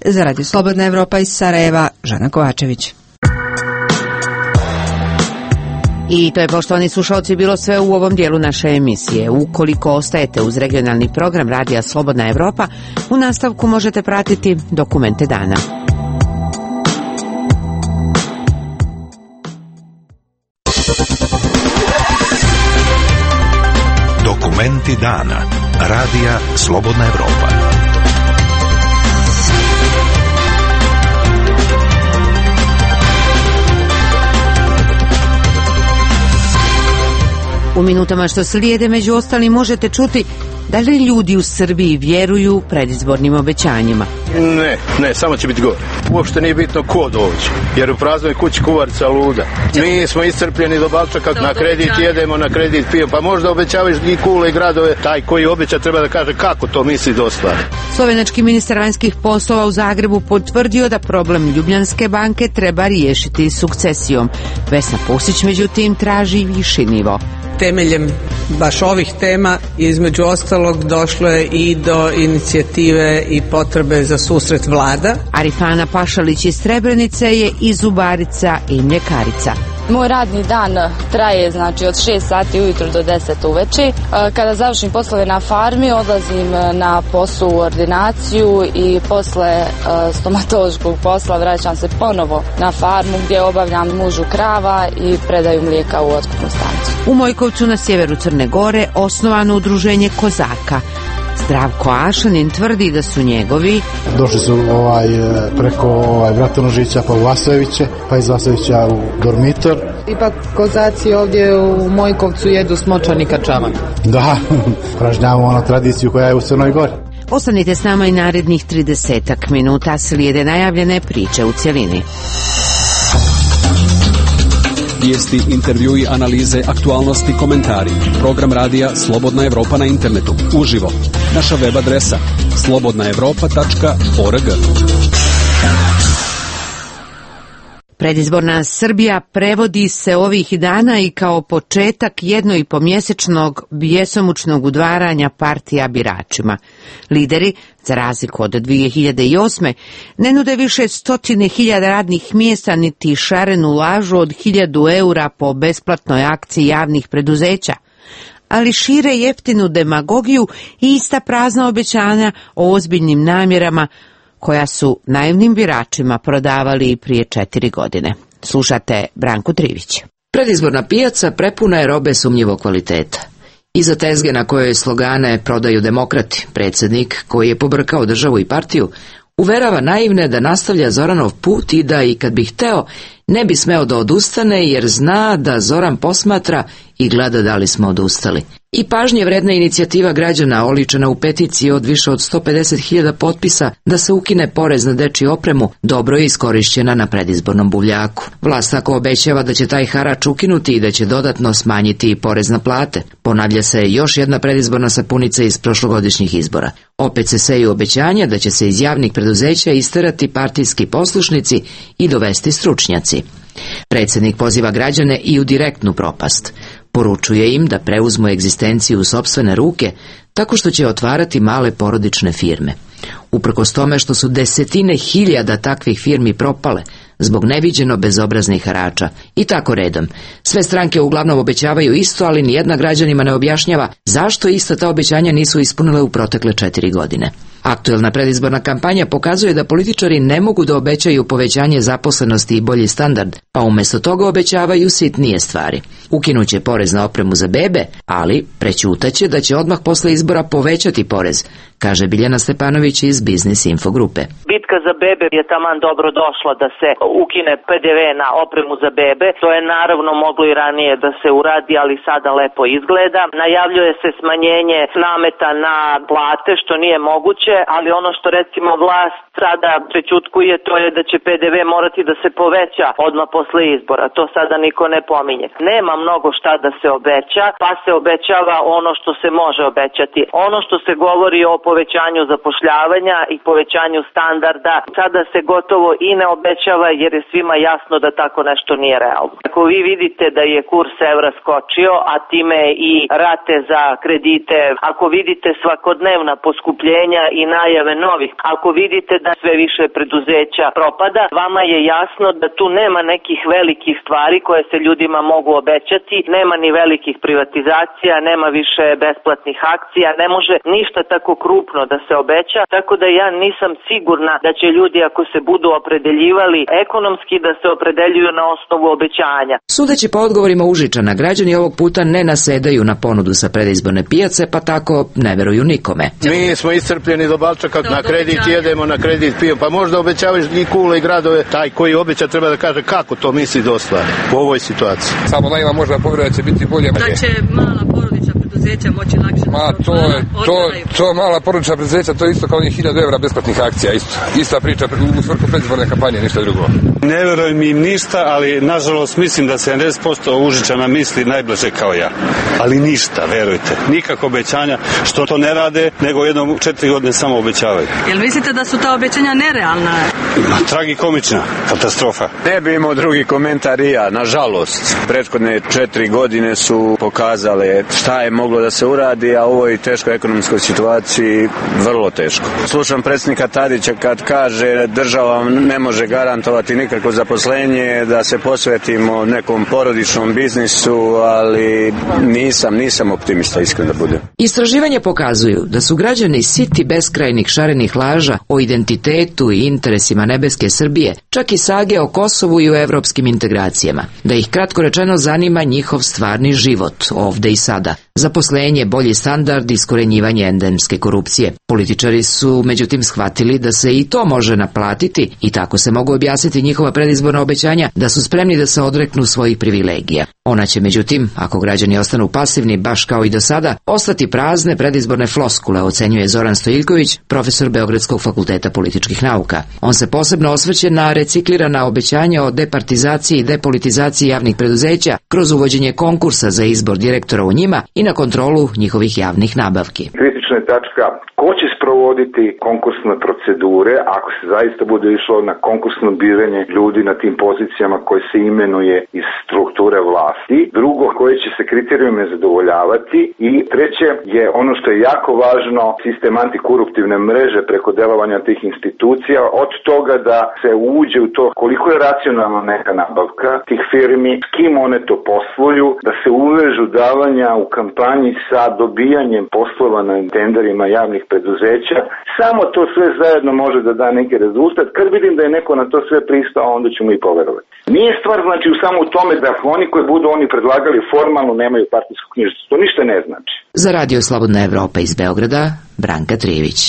Za Radio Slobodna Evropa iz Sarajeva, Žana Kovačević. I to je, poštovani slušalci, bilo sve u ovom dijelu naše emisije. Ukoliko ostajete uz regionalni program Radija Slobodna Evropa, u nastavku možete pratiti Dokumente dana. Dokumenti dana. Radija Slobodna Evropa. U minutama što slijede, među ostalim, možete čuti da li ljudi u Srbiji vjeruju predizbornim obećanjima. Ne, samo će biti gore. Uopšte nije bitno ko dođe, jer u praznoj kući kuvarica luda. Mi smo iscrpljeni do balčaka, na kredit jedemo, na kredit pijemo, pa možda obećavaš i kule i gradove. Taj koji obeća treba da kaže kako to misli da ostvari. Slovenački ministar vanjskih poslova u Zagrebu potvrdio da problem Ljubljanske banke treba riješiti sukcesijom. Vesna Pusić, međutim, traži viši nivo. Temeljem baš ovih tema, između ostalog, došlo je i do inicijative i potrebe za susret vlada. Arifana Pašalić iz Srebrenice je i zubarica i mljekarica. Moj radni dan traje od 6 sati ujutro do 10 uveče. Kada završim poslove na farmi, odlazim na posao u ordinaciju i posle stomatološkog posla vraćam se ponovo na farmu gdje obavljam mužu krava i predaju mlijeka u otkupnu stanicu. U Mojkovcu na sjeveru Crne Gore osnovano udruženje kozaka. Zdravko Ašanin tvrdi da su njegovi došli su preko Bratonožića pa u Vasojeviće, pa iz Vasojevića u dormitor. Ipak kozaci ovdje u Mojkovcu jedu smočani kačamak. Da, pražnjavamo tradiciju koja je u Crnoj Gori. Ostanite s nama i narednih 30 minuta, slijede najavljene priče u cjelini. Vijesti, intervjui, analize, aktualnosti, komentari. Program radija Slobodna Evropa na internetu. Uživo. Naša web adresa slobodnaevropa.org. Predizborna Srbija prevodi se ovih dana i kao početak jednoipomjesečnog bjesomučnog udvaranja partija biračima. Lideri, za razliku od 2008. ne nude više 100.000 radnih mjesta niti šarenu lažu od 1.000 eura po besplatnoj akciji javnih preduzeća, ali šire jeftinu demagogiju i ista prazna obećanja o ozbiljnim namjerama koja su naivnim biračima prodavali prije 4 godine. Slušate Branku Trivić. Predizborna pijaca prepuna je robe sumnjivog kvaliteta. Iza tezge na kojoj slogane prodaju demokrati, predsjednik koji je pobrkao državu i partiju, uverava naivne da nastavlja Zoranov put i da i kad bi hteo ne bi smeo da odustane jer zna da Zoran posmatra i gleda da li smo odustali. I pažnje vredna inicijativa građana oličena u peticiji od više od 150.000 potpisa da se ukine porez na dečju opremu dobro je iskorišćena na predizbornom buvljaku. Vlast tako obećava da će taj harač ukinuti i da će dodatno smanjiti i porez na plate. Ponavlja se još jedna predizborna sapunica iz prošlogodišnjih izbora. Opet se seju obećanja da će se iz javnih preduzeća isterati partijski poslušnici i dovesti stručnjaci. Predsjednik poziva građane i u direktnu propast. Poručuje im da preuzmu egzistenciju u sopstvene ruke tako što će otvarati male porodične firme. Uprkos tome što su desetine hiljada takvih firmi propale zbog neviđeno bezobraznih harača. I tako redom. Sve stranke uglavnom obećavaju isto, ali nijedna građanima ne objašnjava zašto ista ta obećanja nisu ispunile u protekle 4 godine. Aktuelna predizborna kampanja pokazuje da političari ne mogu da obećaju povećanje zaposlenosti i bolji standard, pa umjesto toga obećavaju sitnije stvari. Ukinuće porez na opremu za bebe, ali prećutaće da će odmah posle izbora povećati porez, kaže Biljana Stepanović iz Biznis Info grupe. Bitka za bebe je taman dobro došla da se ukine PDV na opremu za bebe. To je naravno moglo i ranije da se uradi, ali sada lepo izgleda. Najavljuje se smanjenje nameta na plate, što nije moguće, ali ono što recimo vlast sada prećutkuje, to je da će PDV morati da se poveća odmah posle izbora. To sada niko ne pominje. Nema mnogo šta da se obeća, pa se obećava ono što se može obećati. Ono što se govori o povećanju zapošljavanja i povećanju standarda, sada se gotovo i ne obećava jer je svima jasno da tako nešto nije realno. Ako vi vidite da je kurs evra skočio, a time i rate za kredite, ako vidite svakodnevna poskupljenja i najave novih, ako vidite da sve više preduzeća propada, vama je jasno da tu nema nekih velikih stvari koje se ljudima mogu obećati, nema ni velikih privatizacija, nema više besplatnih akcija, ne može ništa tako krupno da se obeća, tako da ja nisam sigurna da će ljudi ako se budu opredeljivali ekonomski da se opredeljuju na osnovu obećanja. Sudeći po odgovorima Užičana, građani ovog puta ne nasedaju na ponudu sa predizborne pijace, pa tako ne veruju nikome. Mi smo iscrpljeni do balčaka, na kredit jedemo, na kredit pijemo, pa možda obećavaš i kule i gradove, taj koji obeća treba da kaže kako to misli da ostvari u ovoj situaciji. Samo najma možda povjeruje da će biti bolje. Da će mala porodična preduzeća moći lakše. To mala porodična preduzeća, to je isto kao 1000 evra besplatnih akcija, ista priča u svrhu predizborne kampanje, ništa drugo. Ne verujem im ništa, ali nažalost mislim da 70% Užičana misli najbliže kao ja. Ali ništa, verujte. Nikako obećanja što to ne rade, nego jednom 4 godine samo obećavaju. Jel mislite da su ta obećanja nerealna? Tragikomična katastrofa. Ne bi imao drugi komentar i ja, nažalost. Prethodne 4 godine su pokazale šta je moglo da se uradi, a u ovoj teškoj ekonomskoj situaciji vrlo teško. Slušam predsjednika Tadića kad kaže država ne može garantovati nikakvo zaposlenje, da se posvetimo nekom porodičnom biznisu, ali nisam optimista, iskreno da budem. Istraživanja pokazuju da su građani siti beskrajnih šarenih laža o identitetu i interesima nebeske Srbije, čak i sage o Kosovu i o evropskim integracijama. Da ih kratko rečeno zanima njihov stvarni život, ovde i sada. Zaposlenje, bolji standard, iskorenjivanje endemske korupcije. Političari su međutim shvatili da se i to može naplatiti i tako se mogu objasniti njihova predizborna obećanja da su spremni da se odreknu svojih privilegija. Ona će međutim, ako građani ostanu pasivni baš kao i do sada, ostati prazne predizborne floskule, ocenjuje Zoran Stojiljković, profesor Beogradskog fakulteta političkih nauka. On se posebno osvrće na reciklirana obećanja o departizaciji i depolitizaciji javnih preduzeća kroz uvođenje konkursa za izbor direktora u njima i na kontrolu njihovih javnih nabavki. Kritična je tačka ko će sprovoditi konkursne procedure ako se zaista bude išlo na konkursno biranje ljudi na tim pozicijama koje se imenuje iz strukture vlasti. Drugo, koje će se kriterijume zadovoljavati. I treće je ono što je jako važno, sistem antikoruptivne mreže preko delovanja tih institucija, od toga da se uđe u to koliko je racionalna neka nabavka tih firmi, s kim one to posluju, da se uvežu davanja u kampanji sa dobijanjem poslova na tenderima javnih preduzeća. Samo to sve zajedno može da da neki rezultat. Kad vidim da je neko na to sve pristao, onda ću mu i poverovati. Nije stvar znači samo u tome da oni koji budu oni predlagali formalno nemaju partijsku knjižicu. To ništa ne znači. Za Radio Slobodna Evropa iz Beograda, Branka Trijević.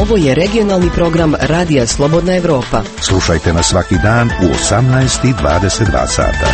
Ovo je regionalni program Radija Slobodna Evropa. Slušajte nas svaki dan u 18:22 sata.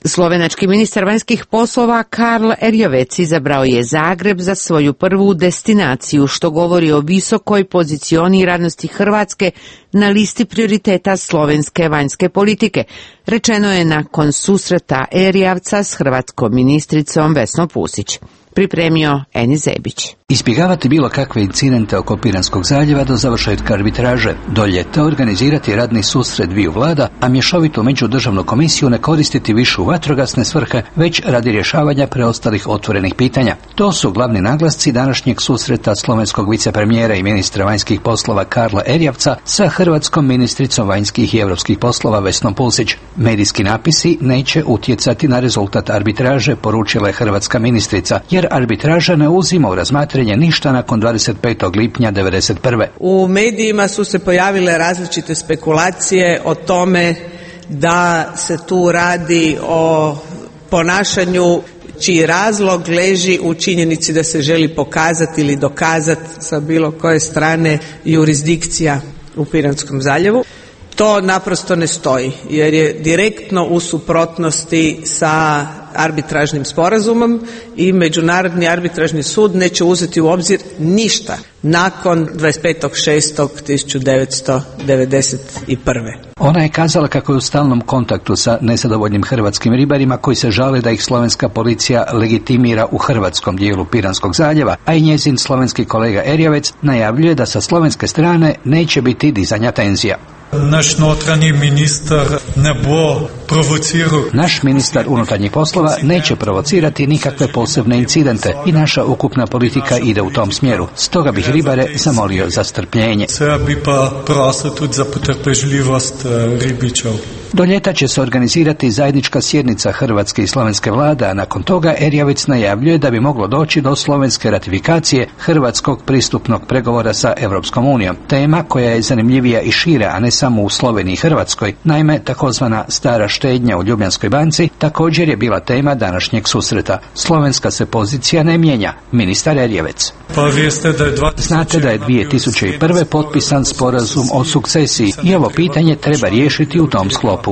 Slovenački ministar vanjskih poslova Karl Erjavec izabrao je Zagreb za svoju prvu destinaciju, što govori o visokoj pozicioniranosti Hrvatske na listi prioriteta slovenske vanjske politike. Rečeno je nakon susreta Erjavca s hrvatskom ministricom Vesnom Pusić. Pripremio Eni Zebić. Izbjegavati bilo kakve incidente oko Piranskog zaljeva do završetka arbitraže, do ljeta organizirati radni susret dviju vlada, a mješovitu međudržavnu komisiju ne koristiti više u vatrogasne svrhe, već radi rješavanja preostalih otvorenih pitanja. To su glavni naglasci današnjeg susreta slovenskog vicepremijera i ministra vanjskih poslova Karla Erjavca sa hrvatskom ministricom vanjskih i europskih poslova Vesnom Pusić. Medijski napisi neće utjecati na rezultat arbitraže, poručila je hrvatska ministrica, jer arbitraža ne uzima u razmatranje ništa nakon 25. lipnja 1991. U medijima su se pojavile različite spekulacije o tome da se tu radi o ponašanju čiji razlog leži u činjenici da se želi pokazati ili dokazati sa bilo koje strane jurisdikcija u Piranskom zaljevu. To naprosto ne stoji jer je direktno u suprotnosti sa arbitražnim sporazumom i Međunarodni arbitražni sud neće uzeti u obzir ništa nakon 25.6.1991. Ona je kazala kako je u stalnom kontaktu sa nezadovoljnim hrvatskim ribarima koji se žale da ih slovenska policija legitimira u hrvatskom dijelu Piranskog zaljeva, a i njezin slovenski kolega Erjavec najavljuje da sa slovenske strane neće biti dizanja tenzija. Naš notranji ministar ne bo provocirao. Naš ministar unutarnjih poslova neće provocirati nikakve posebne incidente i naša ukupna politika ide u tom smjeru. Stoga bih ribare zamolio za strpljenje. Sve bi pa prosil tudi za potrpežljivost ribičev. Do ljeta će se organizirati zajednička sjednica hrvatske i slovenske vlade, a nakon toga Erjavec najavljuje da bi moglo doći do slovenske ratifikacije hrvatskog pristupnog pregovora sa Europskom unijom. Tema koja je zanimljivija i šira, a ne samo u Sloveniji i Hrvatskoj. Naime, takozvana stara štednja u Ljubljanskoj banci također je bila tema današnjeg susreta. Slovenska se pozicija ne mijenja, ministar Erjavec. Znate da je 2001. potpisan sporazum o sukcesiji i ovo pitanje treba riješiti u tom sklopu.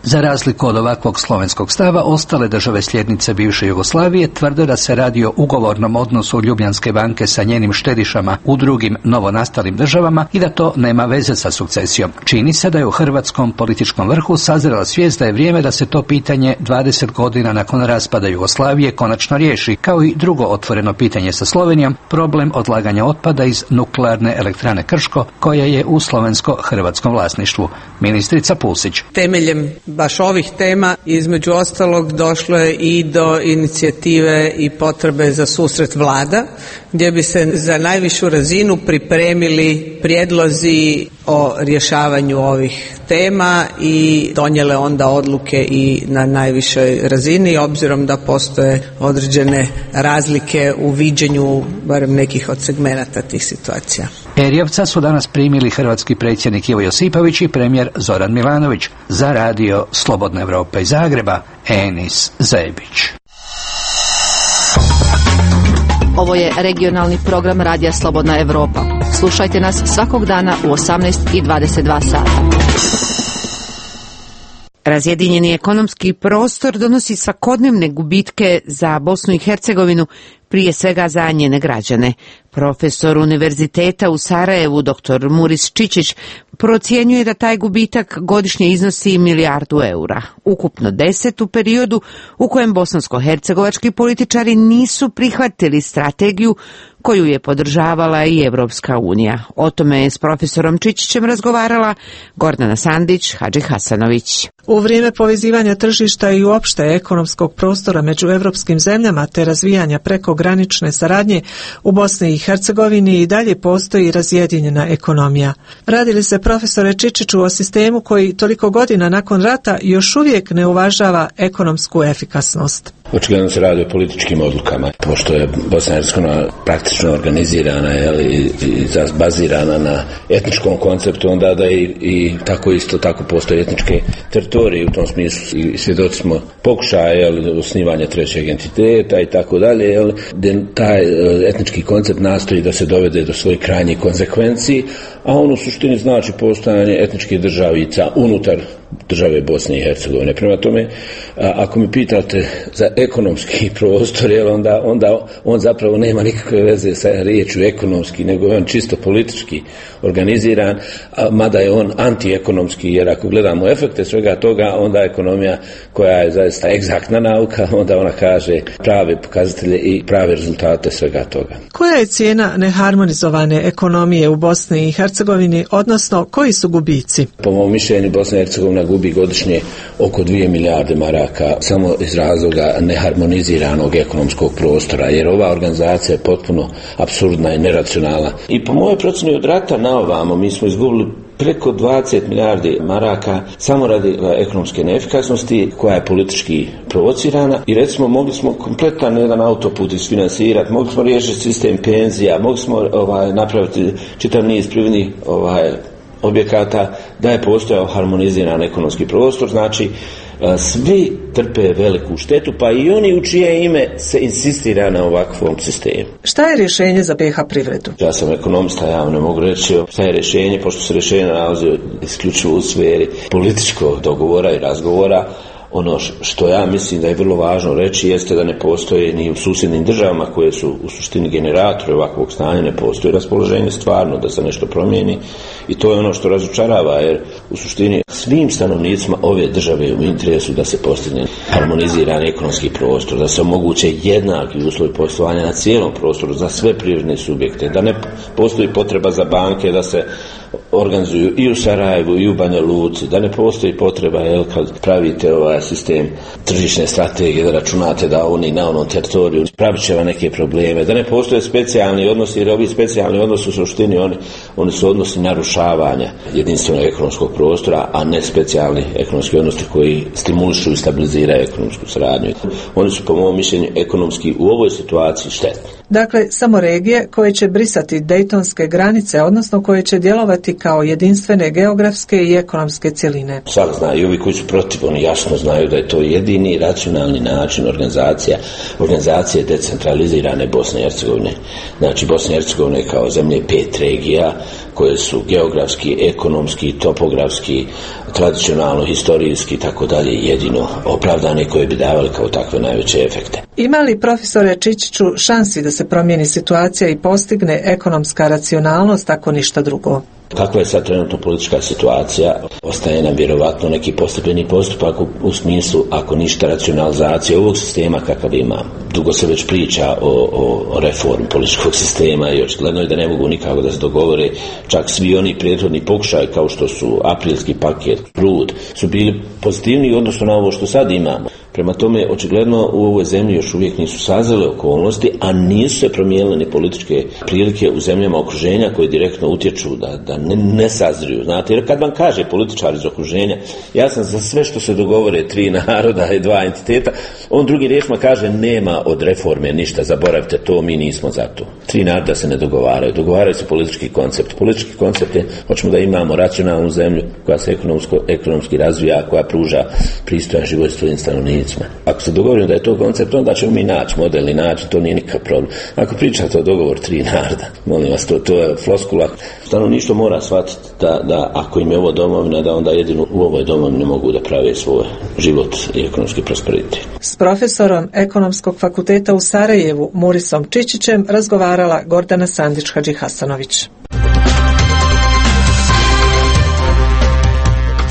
Za razliku od ovakvog slovenskog stava, ostale države sljednice bivše Jugoslavije tvrde da se radi o ugovornom odnosu Ljubljanske banke sa njenim štedišama u drugim novonastalim državama i da to nema veze sa sukcesijom. Čini se da je u hrvatskom političkom vrhu sazrela svijest da je vrijeme da se to pitanje 20 godina nakon raspada Jugoslavije konačno riješi, kao i drugo otvoreno pitanje sa Slovenijom, problem odlaganja otpada iz nuklearne elektrane Krško, koja je u slovensko-hrvatskom vlasništvu. Ministrica Pusić. Temeljem baš ovih tema između ostalog došlo je i do inicijative i potrebe za susret vlada, gdje bi se za najvišu razinu pripremili prijedlozi o rješavanju ovih tema i donijele onda odluke i na najvišoj razini, obzirom da postoje određene razlike u viđenju barem nekih od segmenata tih situacija. Erjavca su danas primili hrvatski predsjednik Ivo Josipović i premijer Zoran Milanović. Za radio Slobodna Evropa iz Zagreba, Enis Zebić. Ovo je regionalni program Radija Slobodna Evropa. Slušajte nas svakog dana u 18:22 sata. Razjedinjeni ekonomski prostor donosi svakodnevne gubitke za Bosnu i Hercegovinu, prije svega za njene građane. Profesor Univerziteta u Sarajevu, dr. Muris Čičić, procjenjuje da taj gubitak godišnje iznosi €1 milijardu, ukupno 10 u periodu u kojem bosansko-hercegovački političari nisu prihvatili strategiju koju je podržavala i Evropska unija. O tome je s profesorom Čičićem razgovarala Gordana Sandić, Hadži Hasanović. U vrijeme povezivanja tržišta i uopšte ekonomskog prostora među evropskim zemljama te razvijanja prekogranične saradnje u Bosni i Hercegovini i dalje postoji razjedinjena ekonomija. Radi li se, profesore Čičiću, o sistemu koji toliko godina nakon rata još uvijek ne uvažava ekonomsku efikasnost? Očigledno se radi o političkim odlukama, pošto je Bosna i Hercegovina praktično organizirana i bazirana na etničkom konceptu, onda da i tako postoje etničke teritorije u tom smislu i svjedoci smo pokušaja osnivanja trećeg entiteta i tako dalje, gdje taj etnički koncept nastoji da se dovede do svojih krajnjih konsekvenci, a on u suštini znači postojanje etničkih državica unutar države Bosne i Hercegovine. Prema tome, ako mi pitate za ekonomski prostor, onda on zapravo nema nikakve veze sa riječju ekonomski, nego je on čisto politički organiziran, mada je on antiekonomski, jer ako gledamo efekte svega toga, onda ekonomija koja je zaista egzaktna nauka, onda ona kaže prave pokazatelje i prave rezultate svega toga. Koja je cijena neharmonizovane ekonomije u Bosni i Hercegovini, odnosno koji su gubici? Po mom mišljenju, Bosna i Hercegovina gubi godišnje oko 2 milijarde maraka samo iz razloga neharmoniziranog ekonomskog prostora, jer ova organizacija je potpuno apsurdna i neracionalna. I po mojoj procjeni od rata na ovamo mi smo izgubili preko 20 milijardi maraka samo radi ekonomske neefikasnosti koja je politički provocirana i recimo mogli smo kompletan jedan autoput isfinansirati, mogli smo riješiti sistem penzija, mogli smo napraviti čitav niz privrednih objekata, da je postojao harmoniziran ekonomski prostor, znači svi trpe veliku štetu, pa i oni u čije ime se insistira na ovakvom sistemu. Šta je rješenje za BiH privredu? Ja sam ekonomista, ja ne mogu reći šta je rješenje, pošto se rješenje nalazi isključivo u sferi političkog dogovora i razgovora. Ono što ja mislim da je vrlo važno reći jeste da ne postoje ni u susjednim državama koje su u suštini generatori ovakvog stanja, ne postoji raspoloženje stvarno da se nešto promijeni i to je ono što razočarava, jer u suštini svim stanovnicima ove države u interesu da se postigne harmoniziran ekonomski prostor, da se omoguće jednaki uslovi poslovanja na cijelom prostoru za sve privredne subjekte, da ne postoji potreba za banke da se organizuju i u Sarajevu i u Banja Luci, da ne postoji potreba kad pravite ovaj sistem tržišne strategije da računate da oni na onom teritoriju pravit će vam neke probleme, da ne postoje specijalni odnosi, jer ovi specijalni odnosi u suštini oni su odnosi narušavanja jedinstvenog ekonomskog prostora, a ne specijalni ekonomski odnosi koji stimulišu i stabiliziraju ekonomsku saradnju. Oni su po mom mišljenju ekonomski u ovoj situaciji štetni. Dakle, samo regije koje će brisati dejtonske granice, odnosno koje će djelovati kao jedinstvene geografske i ekonomske cjeline. Sad znaju, i ovi koji su protiv, oni jasno znaju da je to jedini racionalni način organizacije decentralizirane Bosne i Hercegovine. Znači, Bosna i Hercegovina kao zemlje 5 regija koje su geografski, ekonomski, topografski, tradicionalno, historijski i tako dalje jedino opravdane, koje bi davali kao takve najveće efekte. Ima li, profesore Čičiću, šansi da se promijeni situacija i postigne ekonomska racionalnost ako ništa drugo? Kakva je sad trenutno politička situacija? Ostaje nam vjerovatno neki postepeni postupak u smislu, ako ništa, racionalizacije ovog sistema kakav imamo. Dugo se već priča o reformi političkog sistema i očigledno je da ne mogu nikako da se dogovore. Čak svi oni prethodni pokušaj kao što su aprilski paket, Prud, su bili pozitivni odnosno na ovo što sad imamo. Prema tome, očigledno u ovoj zemlji još uvijek nisu sazrele okolnosti, a nisu se promijenile ni političke prilike u zemljama okruženja koje direktno utječu da ne sazriju. Znate, jer kad vam kaže političar iz okruženja, ja sam za sve što se dogovore 3 naroda i 2 entiteta, on drugi riječima kaže nema od reforme ništa, zaboravite to, mi nismo za to. 3 naroda se ne dogovaraju se politički koncept. Politički koncept je, hoćemo da imamo racionalnu zemlju koja se ekonomski razvija, koja pruža pristojan život svojim stanovnicima. Ako se dogovorimo da je to koncept, onda ćemo mi naći model i naći, to nije nikakav problem. Ako pričate o dogovor 3 naroda, molim vas, to je floskula. Stanovništvo mora shvatiti da ako im je ovo domovina, da onda jedino u ovoj domovini mogu da prave svoj život i ekonomski prosperitet. S profesorom Ekonomskog fakulteta u Sarajevu, Murisom Čičićem, razgovarala Gordana Sandić-Hadžihasanović.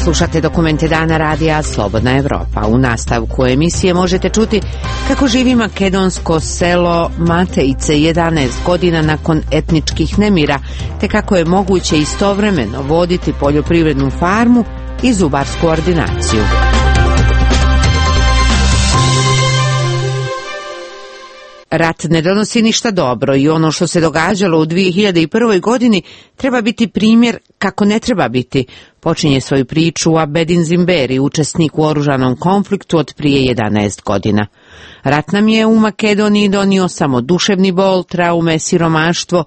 Slušate dokumente Dana radija Slobodna Evropa. U nastavku emisije možete čuti kako živi makedonsko selo Matejice 11 godina nakon etničkih nemira, te kako je moguće istovremeno voditi poljoprivrednu farmu i zubarsku ordinaciju. Rat ne donosi ništa dobro i ono što se događalo u 2001. godini treba biti primjer kako ne treba biti. Počinje svoju priču Abedin Zimberi, učesnik u oružanom konfliktu od prije 11 godina. Rat nam je u Makedoniji donio samo duševni bol, traume, siromaštvo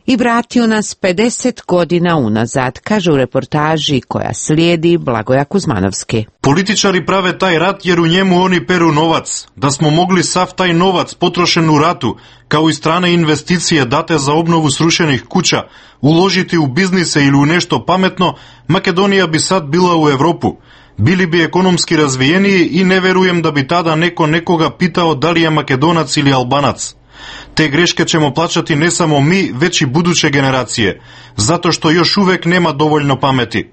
i vratio nas 50 godina unazad, kaže u reportaži koja slijedi Blagoja Kuzmanovski. Političari prave taj rat jer u njemu oni peru novac. Da smo mogli sav taj novac potrošen u ratu, kao i strane investicije date za obnovu srušenih kuća, uložiti u biznise ili u nešto pametno, Makedonija bi sad bila u Europu. Bili bi ekonomski razvijeniji i ne verujem da bi tada neko nekoga pitao da li je Makedonac ili Albanac. Te greške ćemo plaćati ne samo mi, već i buduće generacije, zato što još uvek nema dovoljno pameti.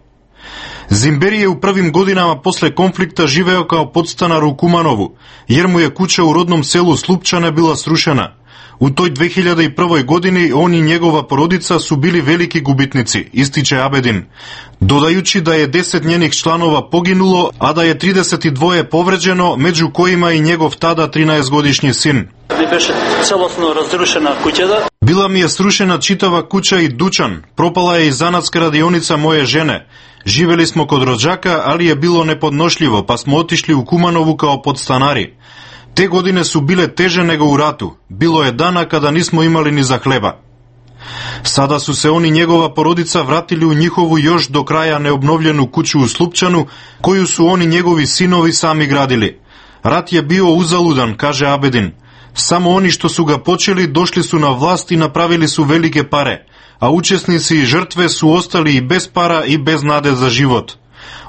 Zimberi je u prvim godinama posle konflikta živeo kao podstanar u Kumanovu, jer mu je kuća u rodnom selu Slupčane bila srušena. U toj 2001. godini on i njegova porodica su bili veliki gubitnici, ističe Abedin, dodajući da je 10 njenih članova poginulo, a da je 32 povređeno, među kojima i njegov tada 13-godišnji sin. Bila mi je srušena čitava kuća i dućan, propala je i zanatska radionica moje žene. Živeli smo kod rođaka, ali je bilo nepodnošljivo, pa smo otišli u Kumanovu kao podstanari. Te godine su bile teže nego u ratu. Bilo je dana kada nismo imali ni za hleba. Sada su se on i njegova porodica vratili u njihovu još do kraja neobnovljenu kuću u Slupčanu, koju su oni njegovi sinovi sami gradili. Rat je bio uzaludan, kaže Abedin. Samo oni što su ga počeli došli su na vlast i napravili su velike pare, a učesnici i žrtve su ostali i bez para i bez nade za život.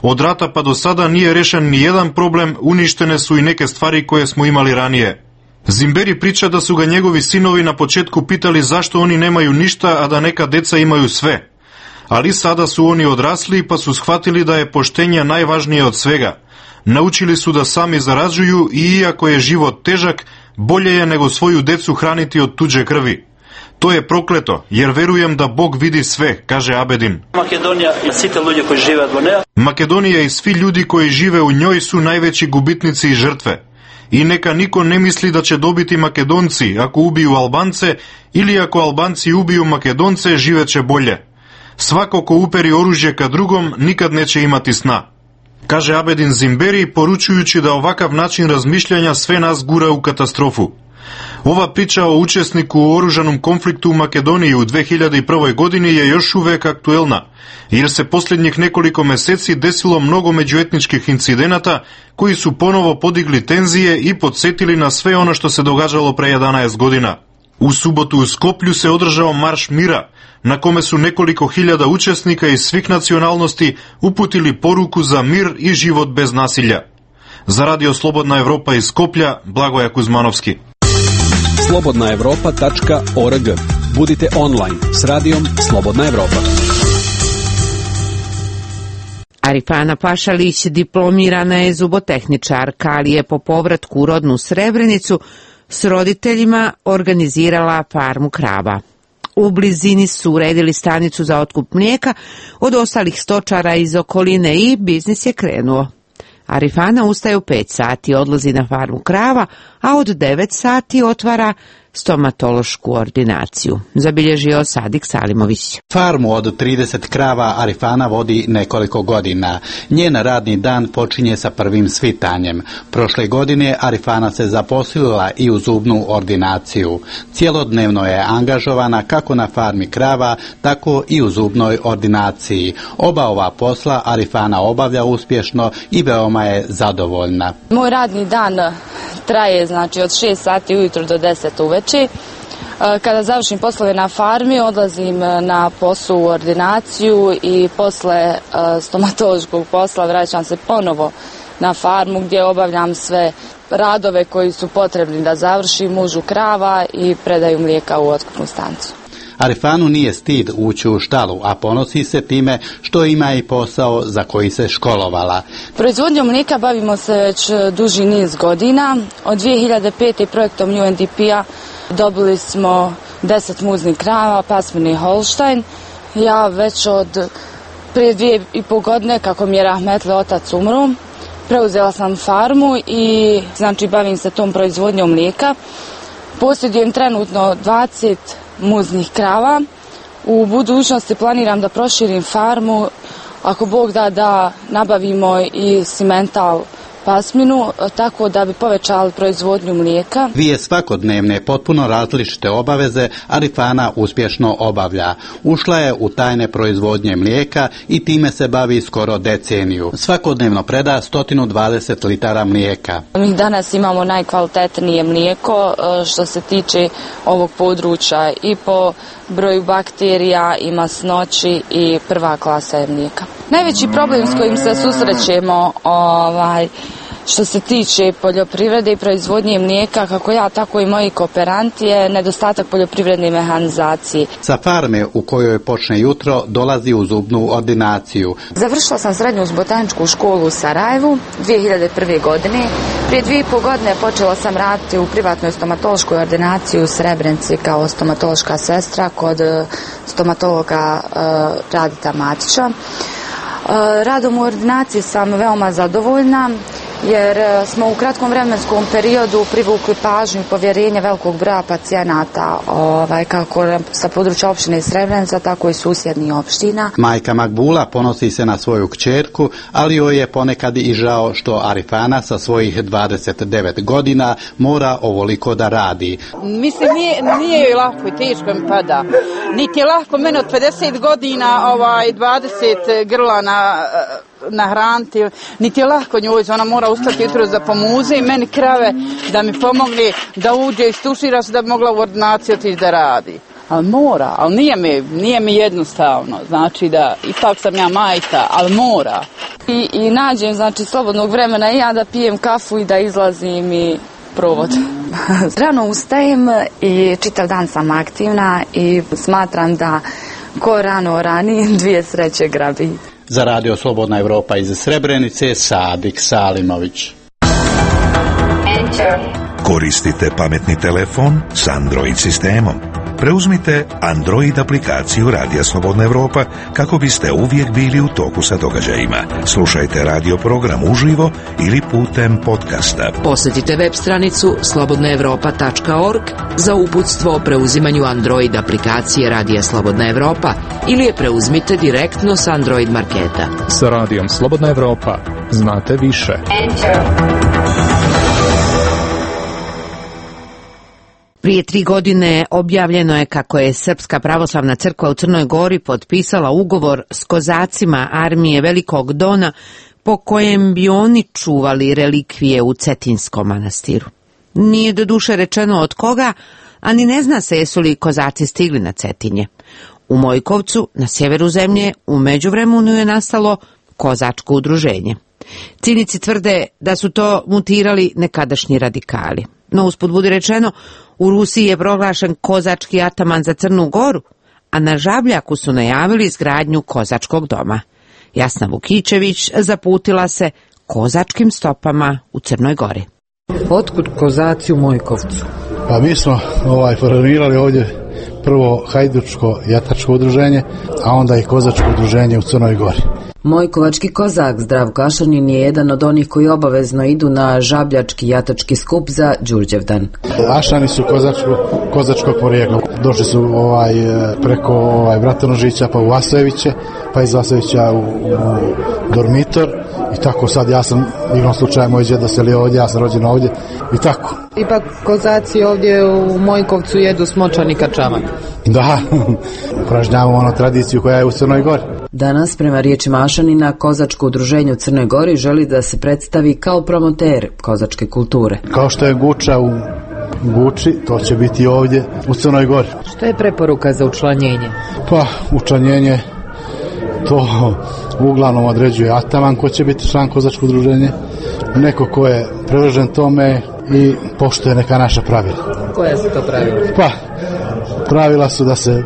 Od rata pa do sada nije rešen ni jedan problem, uništene su i neke stvari koje smo imali ranije. Zimberi priča da su ga njegovi sinovi na početku pitali zašto oni nemaju ništa, a da neka deca imaju sve. Ali sada su oni odrasli pa su shvatili da je poštenje najvažnije od svega. Naučili su da sami zarađuju i iako je život težak, bolje je nego svoju decu hraniti od tuđe krvi. To je prokleto, jer verujem da Bog vidi sve, kaže Abedin. Makedonija i svi ljudi koji žive u njoj su najveći gubitnici i žrtve. I neka niko ne misli da će dobiti Makedonci ako ubiju Albance ili ako Albanci ubiju Makedonce živeće bolje. Svako ko uperi oružje ka drugom nikad neće imati sna. Kaže Abedin Zimberi, poručujući da ovakav način razmišljanja sve nas gura u katastrofu. Ova priča o učesniku u oružanom konfliktu u Makedoniji u 2001. godini je još uvek aktuelna, jer se posljednjih nekoliko meseci desilo mnogo međuetničkih incidenata koji su ponovo podigli tenzije i podsjetili na sve ono što se događalo pre 11 godina. U subotu u Skoplju se održao Marš mira, na kome su nekoliko hiljada učesnika iz svih nacionalnosti uputili poruku za mir i život bez nasilja. Za Radio Slobodna Evropa iz Skoplja, Blagoja Kuzmanovski. slobodnaevropa.org. Budite online s radijom Slobodna Evropa. Arifana Pašalić diplomirana je zubotehničarka, ali je po povratku u rodnu Srebrenicu s roditeljima organizirala farmu krava. U blizini su uredili stanicu za otkup mlijeka od ostalih stočara iz okoline i biznis je krenuo. Arifana ustaje u 5 sati, odlazi na farmu krava, a od 9 sati otvara stomatološku ordinaciju. Zabilježio Sadik Salimović. Farmu od 30 krava Arifana vodi nekoliko godina. Njen radni dan počinje sa prvim svitanjem. Prošle godine Arifana se zaposlila i u zubnu ordinaciju. Cijelodnevno je angažovana kako na farmi krava, tako i u zubnoj ordinaciji. Oba ova posla Arifana obavlja uspješno i veoma je zadovoljna. Moj radni dan traje od 6 sati ujutro do 10 uveče. Kada završim poslove na farmi, odlazim na posao u ordinaciju i posle stomatološkog posla vraćam se ponovo na farmu gdje obavljam sve radove koji su potrebni da završim, mužu krava i predaju mlijeka u otkupnu stanicu. Arifanu nije stid ući u štalu, a ponosi se time što ima i posao za koji se školovala. Proizvodnjom mlijeka bavimo se već duži niz godina. Od 2005. projektom UNDP-a dobili smo 10 muznih krava, pasmini Holstein. Ja već od prije 2,5 godine, kako mi je rahmetli otac umro, preuzela sam farmu i bavim se tom proizvodnjom mlijeka. Posjedujem trenutno 20 muznih krava. U budućnosti planiram da proširim farmu, ako Bog da nabavimo i simental pasminu, tako da bi povećali proizvodnju mlijeka. Dvije svakodnevne, potpuno različite obaveze Arifana uspješno obavlja. Ušla je u tajne proizvodnje mlijeka i time se bavi skoro deceniju. Svakodnevno preda 120 litara mlijeka. Mi danas imamo najkvalitetnije mlijeko što se tiče ovog područja i po broju bakterija i masnoći i prva klasa je mlijeka. Najveći problem s kojim se susrećemo što se tiče poljoprivrede i proizvodnje mlijeka, kako ja, tako i moji kooperanti, je nedostatak poljoprivredne mehanizacije. Sa farme u kojoj počne jutro dolazi u zubnu ordinaciju. Završila sam srednju botaničku školu u Sarajevu 2001. godine. Prije 2,5 godine počela sam raditi u privatnoj stomatološkoj ordinaciji u Srebrenici kao stomatološka sestra kod stomatologa Radita Matića. Radom u ordinaciji sam veoma zadovoljna jer smo u kratkom vremenskom periodu privukli pažnju i povjerenje velikog broja pacijenata, kako sa područja opštine Srebrenica, tako i susjednih opština. Majka Makbula ponosi se na svoju kćerku, ali joj je ponekad i žao što Arifana sa svojih 29 godina mora ovoliko da radi. Mislim, nije joj lako i teško mi pada. Niti je lako mene od 50 godina 20 grla nahraniti, niti je lako njoj, ona mora ustati jutro za pomuze i meni krave da mi pomogne da uđe i stušira se da bi mogla u ordinaciju otići da radi. Ali mora, ali nije mi jednostavno, znači da ipak sam ja majka, ali mora. I nađem, znači, slobodnog vremena i ja da pijem kafu i da izlazim i provod. Rano ustajem i čitav dan sam aktivna i smatram da ko rano rani, dvije sreće grabi. Za Radio Slobodna Evropa iz Srebrenice, Sadik Salimović. Koristite pametni telefon s Android sistemom. Preuzmite Android aplikaciju Radija Slobodna Evropa kako biste uvijek bili u toku sa događajima. Slušajte radio program uživo ili putem podcasta. Posjetite web stranicu slobodnaevropa.org za uputstvo o preuzimanju Android aplikacije Radija Slobodna Evropa ili je preuzmite direktno s Android marketa. Sa Radijom Slobodna Evropa znate više. Prije 3 godine objavljeno je kako je Srpska pravoslavna crkva u Crnoj Gori potpisala ugovor s kozacima armije Velikog Dona po kojem bi oni čuvali relikvije u Cetinskom manastiru. Nije doduše rečeno od koga, a ni ne zna se jesu li kozaci stigli na Cetinje. U Mojkovcu, na sjeveru zemlje, u međuvremenu je nastalo kozačko udruženje. Cinici tvrde da su to mutirali nekadašnji radikali. No usput budi rečeno, u Rusiji je proglašen kozački ataman za Crnu Goru, a na Žabljaku su najavili izgradnju kozačkog doma. Jasna Vukićević zaputila se kozačkim stopama u Crnoj Gori. Otkud kozaci u Mojkovcu? Pa mi smo formirali ovdje prvo hajdučko jatačko udruženje, a onda i kozačko udruženje u Crnoj Gori. Mojkovački kozak Zdravko Ašanin je jedan od onih koji obavezno idu na žabljački jatački skup za Đurđevdan. Ašani su kozačkog porijekla. Došli su preko Bratonožića pa u Vasojeviće, pa iz Vasojevića u Dormitor i tako sad ja sam igrom slučaja moj djed doselio ovdje, ja sam rođen ovdje i tako. Ipak kozaci ovdje u Mojkovcu jedu smočani kačamak. Da, upražnjavamo tradiciju koja je u Crnoj Gori. Danas, prema riječima Ašanina, kozačko udruženje u Crnoj Gori želi da se predstavi kao promoter kozačke kulture. Kao što je Guča u Guči, to će biti ovdje u Crnoj Gori. Što je preporuka za učlanjenje? Pa, učlanjenje to uglavnom određuje ataman ko će biti član kozačkog udruženja, neko ko je privržen tome i poštuje neka naša pravila. Koja su to pravila? Pa, pravila su da se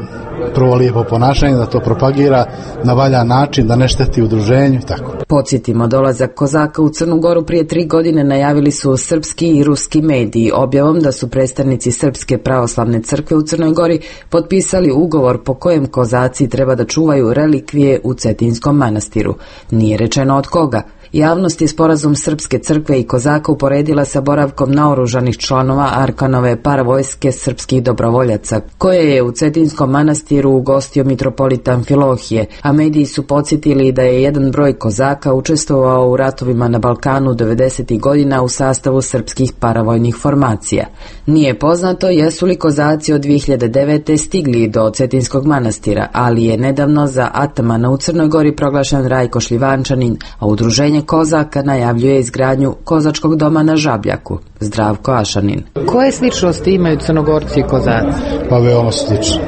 prvo lijepo ponašanje, da to propagira na valjan način, da ne šteti udruženju i tako. Podsjetimo, dolazak kozaka u Crnu Goru prije 3 godine najavili su srpski i ruski mediji objavom da su predstavnici Srpske pravoslavne crkve u Crnoj Gori potpisali ugovor po kojem kozaci treba da čuvaju relikvije u Cetinskom manastiru. Nije rečeno od koga. Javnost je sporazum Srpske crkve i kozaka uporedila sa boravkom naoružanih članova Arkanove paravojske srpskih dobrovoljaca, koje je u Cetinskom manastiru ugostio mitropolita Amfilohije, a mediji su podsjetili da je jedan broj kozaka učestvovao u ratovima na Balkanu 90. godina u sastavu srpskih paravojnih formacija. Nije poznato jesu li kozaci od 2009. stigli do Cetinskog manastira, ali je nedavno za atamana u Crnoj Gori proglašen Rajko Šljivančanin, a udruženje kozaka najavljuje izgradnju kozačkog doma na Žabljaku. Zdravko Ašanin. Koje sličnosti imaju Crnogorci i kozaci? Pa veoma slični.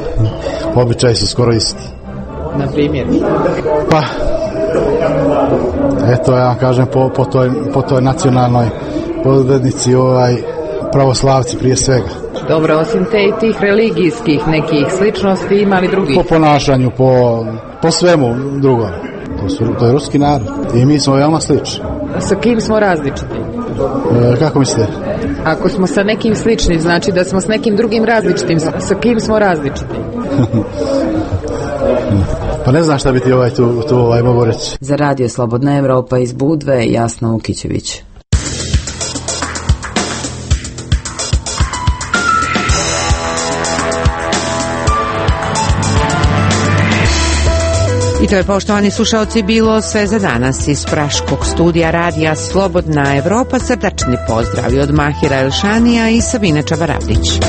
Običaji su skoro isti. Na primjer? Pa, eto ja vam kažem po toj nacionalnoj podrednici pravoslavci prije svega. Dobro, osim tih religijskih nekih sličnosti ima li drugih? Po ponašanju, po svemu drugom. To je ruski narod i mi smo veoma slični. Sa kim smo različiti? Kako mislite? Ako smo sa nekim slični, znači da smo s nekim drugim različitim. Sa kim smo različiti? Pa ne znam šta bi ti tu mogu reći. Za Radio Slobodna Evropa iz Budve, Jasna Vukićević. I to je, poštovani slušaoci, bilo sve za danas iz praškog studija radija Slobodna Evropa. Srdačni pozdravi od Mahira Elšanija i Sabine Čabarabdić.